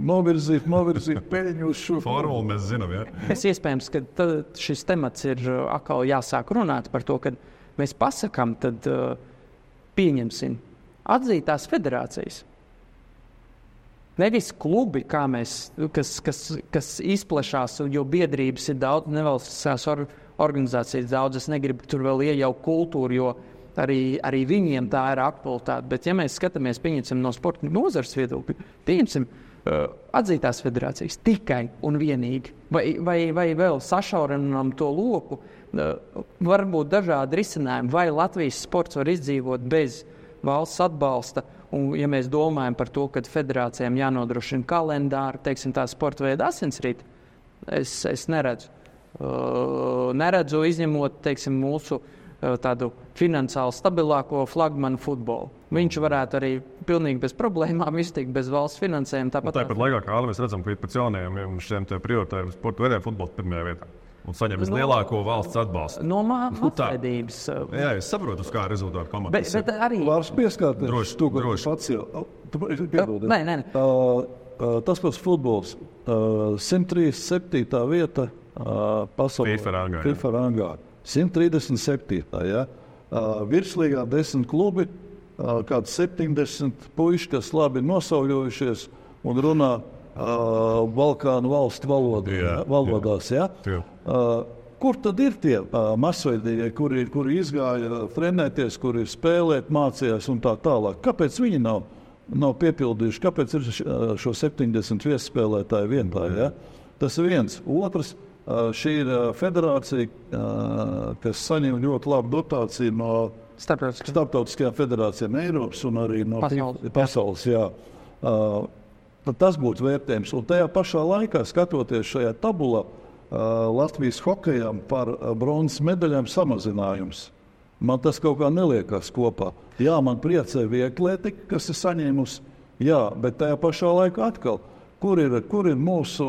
novirzīt peļņu uz šo formulu. Mēs zinām, ja? Es iespējams, ka šis temats ir atkal jāsāk runāt par to, kad mēs pasakām, tad pieņemsim atzītās federācijas. Nevis klubi, kā mēs, kas izplešās, jo biedrības ir daudz, nevalstiskās organizācijas daudz. Es negribu tur vēl iejaukt kultūru, jo arī viņiem tā ir aktualitāte. Bet, ja mēs skatāmies, pieņemsim no sporta nozares viedokļa, pieņemsim atzītās federācijas tikai un vienīgi, vai vēl sašaurinām to loku, varbūt dažādi risinājumi, vai Latvijas sports var izdzīvot bez valsts atbalsta. Un, ja mēs domājam par to, ka federācijām jānodrošina kalendāri, teiksim, tā sporta veida asinsrīti, es neredzu. Neredzu izņemot, teiksim, mūsu tādu finansiāli stabilāko flagmanu futbolu. Viņš varētu arī pilnīgi bez problēmām iztikt bez valsts finansējuma. Tāpat laikā, kā mēs redzam, ka pēc jaunajiem šiem prioritāriem sporta veidiem futbols pirmajā vietā. Un saņem vislielāko valsts atbalstu. No mācvedības. Jā, es saprotu, uz kā rezultātu pamatas. Bet arī... Vārds pieskārties. Droši. Pats jau. Nē. Tas pats futbols. 137. vieta pasaulē. FIFA rangā. 137. Ja? Virslīgā 10 klubi, kāds 70 puiši, kas labi nosauļojušies un runā Balkānu valstu valodās. Ja? Kur tad ir tie masveidīgie, kuri izgāja trenēties, kuri spēlēt, mācījās un tā tālāk? Kāpēc viņi nav piepildījuši? Kāpēc ir šo 70 viesspēlētāju vienā? Ja? Tas ir viens. Otrs, šī ir federācija, kas saņem ļoti labu dotāciju no starptautiskajām federācijām Eiropas un arī no pasaules. Jā. Tad tas būtu vērtējums. Un tajā pašā laikā, skatoties šajā tabulā, Latvijas hokejām par bronzas medaļām samazinājums. Man tas kaut kā neliekās kopā. Jā, man priecē vieglietika, kas ir saņēmusi, jā, bet tajā pašā laikā atkal. Kur ir mūsu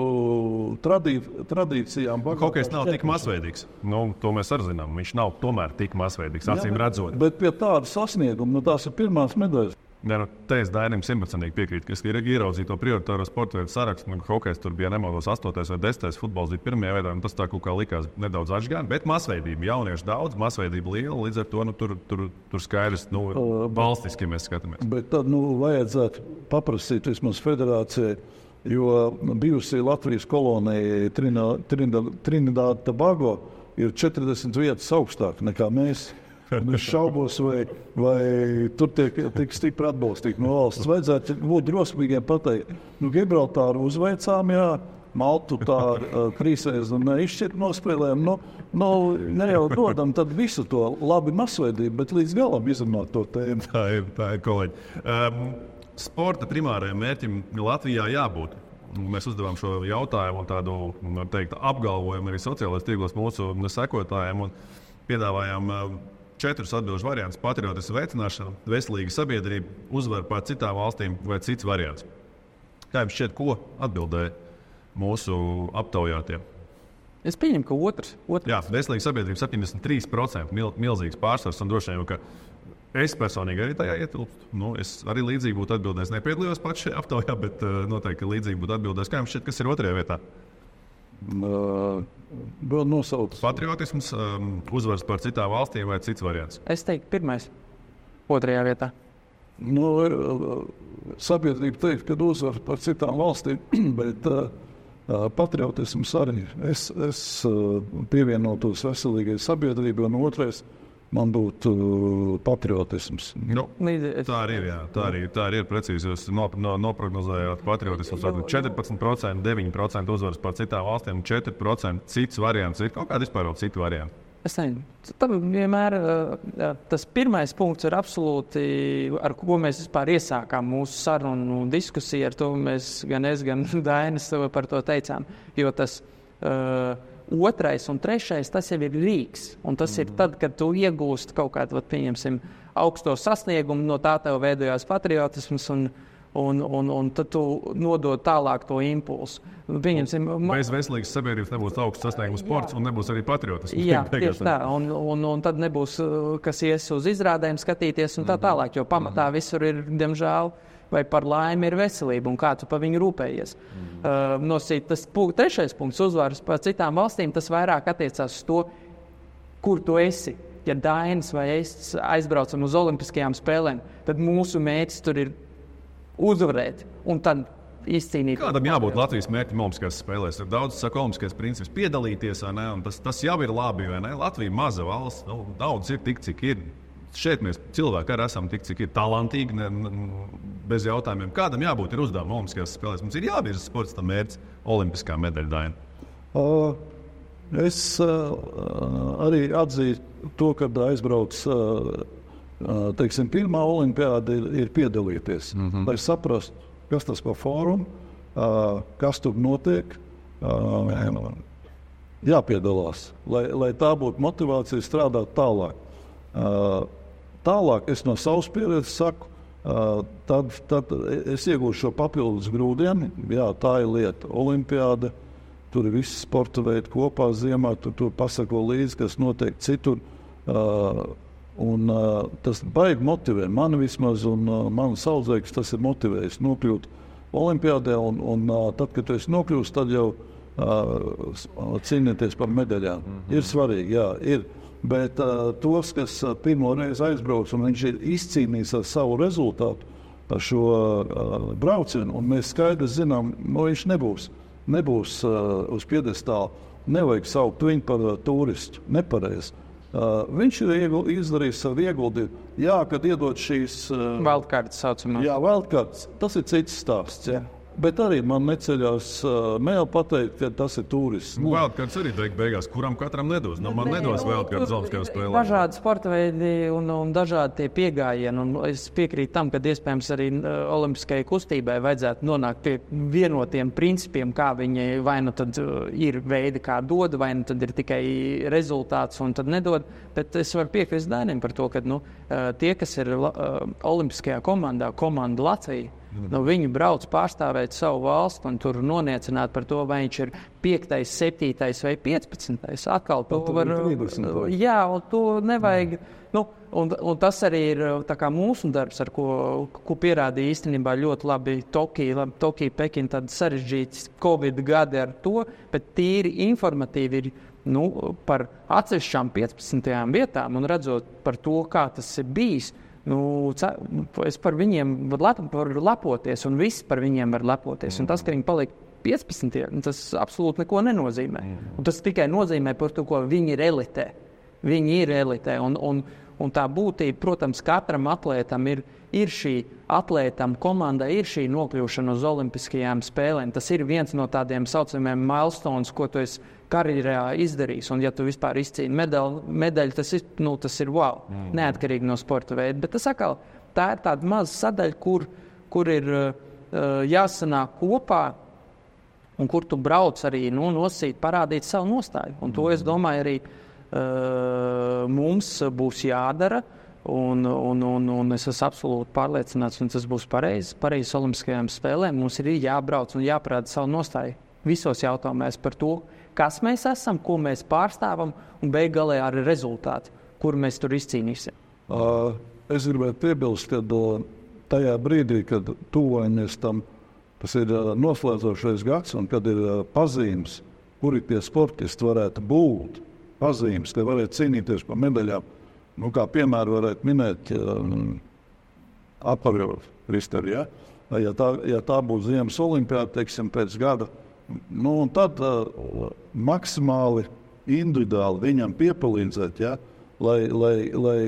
tradīcijām? Hokejs nav tik masveidīgs. To mēs arī zinām. Viņš nav tomēr tik masveidīgs, acīm redzot. Bet pie tāda sasnieguma, tās ir pirmās medaļas. Te es Dainim 100% piekrītu, ka es ieraudzīju to prioritāro sporta veidu sarakstu. Hokejs tur bija nemaldos 8. vai 10. futbols bija pirmajā veidā, un tas tā kaut kā likās nedaudz atšķirīgi. Bet masveidība, jauniešu daudz, masveidība liela, līdz ar to tur skaidrs, valstiski mēs skatāmies. Bet tad vajadzētu paprasīt vismaz federācijai, jo bijusī Latvijas kolonija Trinidad Tobago ir 40 vietas augstāk nekā mēs. Es šaubos, vai tur tiek tik stipri atbalstīt no valsts. Vajadzētu būt drosmīgiem pateikt. Gibraltāru uzveicām, jā, Maltu tā trīsreiz neizšķirt nospēlējām. Ne jau dodam tad visu to labi masveidību, bet līdz galam izrunāt to tēmu. Tā ir kolēģi. Sporta primārajam mērķim Latvijā jābūt. Mēs uzdevām šo jautājumu un tādu apgalvojumu arī sociālajos tīklos mūsu sekotājiem un piedāvājām 4 atbilžu variantus - patriotismu veicināšana, veselīga sabiedrība, uzvara pār citām valstīm vai cits variants. Kā jums šķiet, ko atbildēja mūsu aptaujātie? Es pieņemu, ka otrs. Jā, veselīga sabiedrība 73%, milzīgs pārsvars un droši vien, ka es personīgi arī tajā ietilpstu. Es arī līdzīgi būtu atbildējis. Nepiedalījos pats šajā aptaujā, bet noteikti līdzīgi būtu atbildējis. Kā jums šķiet, kas ir otrajā vietā? Vēl nosaukt. Patriotisms, uzvaras par citām valstīm vai cits variants? Es teiktu, pirmais, otrajā vietā. Sabiedrība teikt, ka uzvaras par citām valstīm, bet patriotisms arī. Es pievienotos veselīgai sabiedrībai, un otrais man būtu patriotisms. Tā arī ir. Jā. Tā arī ir precīzi. Jūs noprognozējāt patriotismu 14%, 9% uzvaras par citām valstīm, 4% cits variants. Ir kaut kādi vispār vēl citi varianti? Es nezinu. Tam vienmēr tas pirmais punkts ir absolūti, ar ko mēs vispār iesākām mūsu sarunu un diskusiju. Ar to mēs gan es, gan Dainis par to teicām. Jo tas otrais un trešais, tas jau ir rīks. Un tas ir tad, kad tu iegūsti kaut kādu, pieņemsim, augsto sasniegumu, no tā tev veidojās patriotisms un tad tu nodod tālāk to impulsu. Bez veselīgas sabiedrības nebūs augsts sasniegums sports un nebūs arī patriotisms. Jā, tieši tā. Un tad nebūs, kas ies uz izrādēm skatīties un tā tālāk, jo pamatā visur ir, diemžēl, vai par laimi ir veselība un kā tu pa viņu rūpējies. Tas trešais punkts uzvaras par citām valstīm, tas vairāk attiecās uz to, kur tu esi. Ja Dainis vai es aizbraucam uz Olimpiskajām spēlēm, tad mūsu mērķis tur ir uzvarēt un tad izcīnīt. Kādam jābūt Latvijas mērķim Olimpiskajās spēlēs? Ir daudz, saka, olimpiskais princips piedalīties, vai ne? Un tas jau ir labi, vai ne? Latvija maza valsts, daudz ir tik, cik ir. Šeit mēs cilvēki arī esam tik, cik ir talantīgi, bez jautājumiem. Kādam jābūt ir uzdevuma Olimpiskajās spēlēs? Mums ir jāvirza sports tam mērķis olimpiskā medaļa, Daina. Es arī atzīstu to, kad aizbrauc teiksim, pirmā olimpiāda ir piedalīties, lai saprastu, kas tas par fórumu, kas tur notiek, jāpiedalās, lai tā būtu motivācija strādāt tālāk. Tālāk es no savas pieredzes saku, tad es iegūšu šo papildus grūdienu. Jā, tā ir lieta. Olimpiāda, tur ir visi sporta veidi kopā ziemā, tur pasako līdzi, kas notiek citur. Tas baigi motivē mani vismaz, un manu saudzēkus tas ir motivējis nokļūt olimpiādē, un tad, kad tu esi nokļūst, tad jau cīnīties par medaļām. Ir svarīgi, jā, ir. Bet tos, kas pirmo reizi aizbrauc, un viņš ir izcīnījis ar savu rezultātu ar šo braucienu, un mēs skaidri zinām, viņš nebūs uz piedestāla, nevajag saukt viņu par turistu, nepareizi. Viņš ir izdarījis savu ieguldījumu. Jā, kad iedod šīs... Wildcards saucamā. Jā, wildcards. Tas ir cits stāsts. Jā. Bet arī man neceļās mēl pateikt, ka tas ir turists. Wildcards arī beigās, kuram katram nedos. Man nedos wildcards Olimpiskajām spēlēm. Dažādi sporta veidi un dažādi tie piegājieni. Un es piekrītu tam, ka iespējams arī olimpiskajai kustībai vajadzētu nonākt pie vienotiem principiem, kā viņi vai nu tad ir veidi, kā dod, vai nu tad ir tikai rezultāts un tad nedod. Bet es varu piekrist Dainim par to, ka tie, kas ir olimpiskajā komandā, komanda Latvija, viņi brauc pārstāvēt savu valstu un tur noniecināt par to, vai viņš ir 5., 7. vai 15. Atkal to var... Jā, un to nevajag... Un tas arī ir tā kā mūsu darbs, ar ko pierādīja īstenībā ļoti labi Tokija, Pekina, tad sarežģīts Covid gadi ar to, bet tīri informatīvi ir par atsevišķām 15. vietām un redzot par to, kā tas ir bijis. Es par viņiem varu lepoties, un visi par viņiem var lepoties. Un tas, ka viņi paliek 15, tas absolūti neko nenozīmē. Un tas tikai nozīmē par to, ko viņi ir elitē. Viņi ir elitē, un tā būtība, protams, katram atlētam ir šī atlētam komandai, ir šī nokļūšana uz Olimpiskajām spēlēm. Tas ir viens no tādiem saucamiem milestones, ko tu esi karjerā izdarījis. Un ja tu vispār izcīni medaļu, tas ir wow, neatkarīgi no sporta veida. Bet tas atkal, tā ir tāda maza sadaļa, kur ir jāsanāk kopā un kur tu brauc arī nosīt, parādīt savu nostāju. Un to, es domāju, arī mums būs jādara. Un es esmu absolūti pārliecināts, un tas būs pareizi Olimpiskajām spēlēm. Mums ir jābrauc un jāparāda savu nostāju visos jautājumos par to, kas mēs esam, ko mēs pārstāvam, un beigās arī rezultāti, kur mēs tur izcīnīsim. Es gribētu piebilst, ka tajā brīdī, kad tuvojamies tam, tas ir noslēdzošais gads, un kad ir pazīmes, kuri tie sportisti varētu būt, pazīmes, ka varētu cīnīties par medaļām. Kā piemēru varētu minēt Aparjovu Risteri, ja? Ja tā būs ziemas olimpiāda, teiksim, pēc gada, un tad maksimāli individuāli viņam piepalīdzēt, ja? lai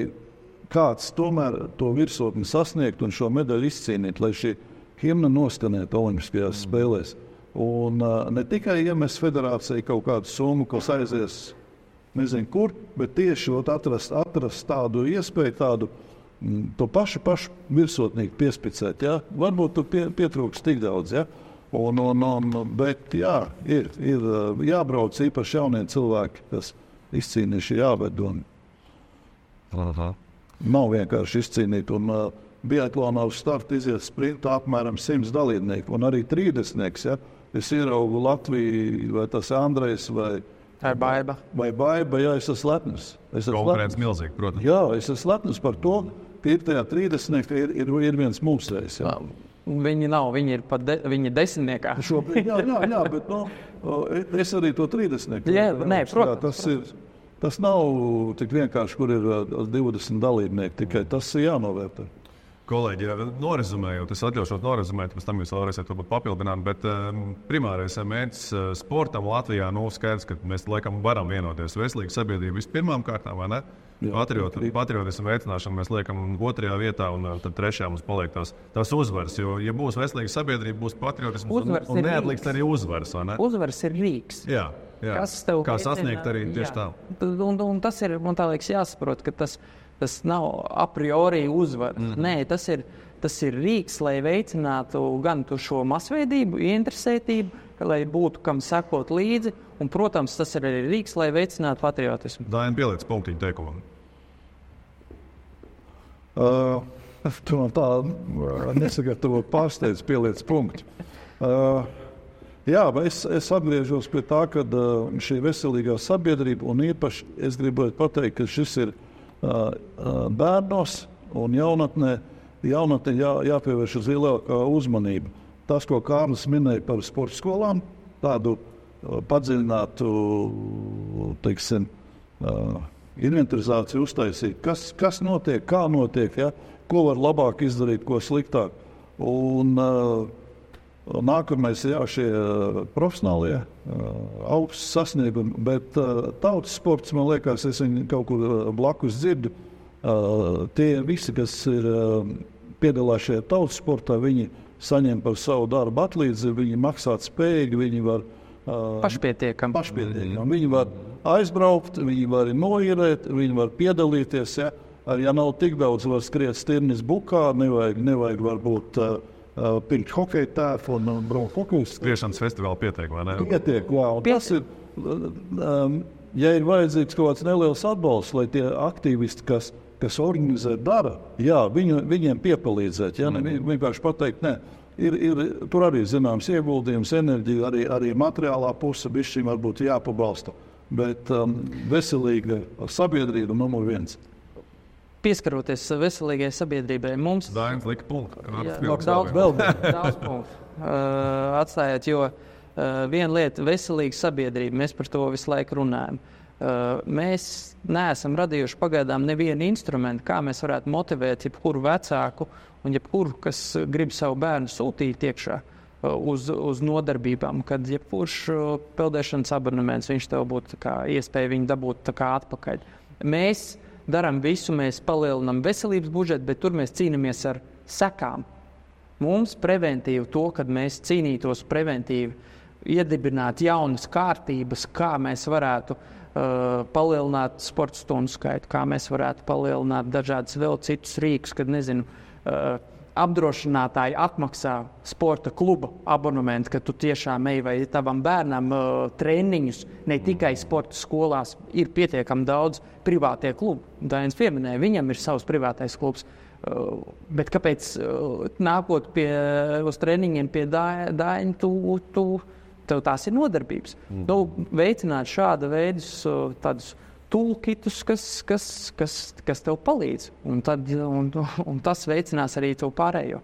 kāds tomēr to virsotni sasniegt un šo medaļu izcīnīt, lai šī himna nostanētu Olimpiskajās spēlēs. Un ne tikai iemest federācija kaut kādu summu, kas aizies nezinu kur, bet tieši atrast tādu iespēju, to pašu virsotnīgu piespicēt. Ja? Varbūt tu pietrūks tik daudz. Ja? Bet jā, ir jābrauc īpaši jaunie cilvēki, kas izcīnījuši jāved. Nav vienkārši izcīnīt. Biatlonā uz starta iziet sprintā apmēram 100 dalībnieku un arī 30. Ja? Es ieraugu Latviju, vai tas Andrejs vai Baiba. Jā, es esmu lepns. Konkurence milzīga, protams. Jā, es esmu lepns par to, ka ir tajā 30. ir viens mūsreiz. Ja? Viņi nav, viņi ir viņi desmitniekā. Šobrīd, jā, bet es arī to 30. Jā, protams. Tas nav tik vienkārši, kur ir 20 dalībnieki, tikai tas ir jānovērtē. Kolēģi, norezumējot, es atļaušos norezumēt, pēc tam jūs vēl varēsiet papildināt, bet primārais mērķis sportam Latvijā, skaidrs, ka mēs laikam varam vienoties. Veselīga sabiedrība vispirmām kārtām, vai ne? Patriotismu veicināšanu mēs liekam 2. vietā, un tad 3. mums paliek tās uzvaras. Jo, ja būs veselīga sabiedrība, būs patriotisms un neatliks arī uzvaras, vai ne? Uzvaras ir rīks. Jā. Kā sasniegt arī tieši tā. Un tas ir, man tā liekas, jāsaprot, ka tas nav a priori uzvaras. Nē, tas ir rīks, lai veicinātu gan šo masveidību, ieinteresētību, lai būtu kam sekot līdzi. Un, protams, tas ir arī rīks, lai veicinātu patriotismu. Daina, pieliec punktiņu teikumam. Tu man tā nesagatavot pārsteidz pieliec punktu. Jā, es atgriežos pie tā, ka šī veselīgā sabiedrība, un īpaši es gribētu pateikt, ka šis ir bērnos un jaunatnē jāpievērš uz lielākā uzmanība. Tas, ko Kārlis minēja par sporta skolām, tādu padziļinātu, inventarizāciju uztaisīt. Kas notiek, kā notiek, ja? Ko var labāk izdarīt, ko sliktāk. Un nākamais, šie profesionālie augsts sasniegumi, bet tautas sports, man liekas, es viņu kaut kur blakus dzirdu. Tie visi, kas ir piedalās šajā tautas sportā, viņi saņem par savu darbu atlīdzību, viņi maksāt spējīgi, viņi var pašpietiekami. Viņi var aizbraukt, viņi var noierēt, viņi var piedalīties. Ja nav tik daudz, var skriet stirnis bukā, nevajag varbūt pirkt hokeja tēfu un braukt hokejas. Skriešanas festivāla pietiek, vai ne? Pietiek, jā. Tas ir, ja ir vajadzīgs kaut kāds neliels atbalsts, lai tie aktīvisti, kas organizē, dara, jā, viņiem piepalīdzēt. Ja? Vienkārši pateikt, nē, ir tur arī zināms ieguldījums, enerģija, arī materiālā puse bišķiņ varbūt jāpabalsta. Bet veselīga sabiedrība numur 1. Pieskaroties veselīgai sabiedrībai, mums Dainis lika punktu. Daudz punktu atstājāt, jo viena lieta veselīga sabiedrība, mēs par to visu laiku runājam. Mēs neesam radījuši pagaidām nevienu instrumentu, kā mēs varētu motivēt jebkuru vecāku un jebkuru, kas grib savu bērnu sūtīt iekšā uz nodarbībām, kad jebkurš peldēšanas abonements, viņš tev būtu iespēja viņu dabūt atpakaļ. Mēs darām visu, mēs palielinām veselības budžetu, bet tur mēs cīnāmies ar sekām. Mums preventīvi to, kad mēs cīnītos preventīvi, iedibināt jaunas kārtības, kā mēs varētu palielināt sporta stundu skaitu, kā mēs varētu palielināt dažādas vēl citus rīkus, kad, apdrošinātāji atmaksā sporta kluba abonementu, ka tu tiešām ej vai tavam bērnam treniņus, ne tikai sporta skolās, ir pietiekami daudz privātie klubi. Dainis pieminēja, viņam ir savs privātais klubs, bet kāpēc nākot uz treniņiem pie Daina, tev tās ir nodarbības. Veicināt šāda veidus tādus toolkitus, kas tev palīdz. Un tas veicinās arī tev pārējo.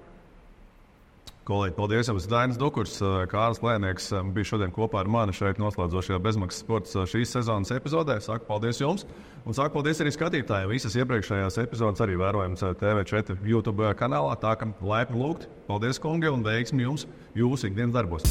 Kolēģi, paldies jums. Dainis Dukurs, Kārlis Lēnieks bija šodien kopā ar mani šeit noslēdzošajā bezmaksas sports šīs sezonas epizodē. Saku paldies jums un saku paldies arī skatītājiem. Visas iepriekšējās epizodes arī vērojams TV4 YouTube kanālā. Tā kā laipni lūgt. Paldies, kungi, un veiksmi jums jūsu ikdienas darbos.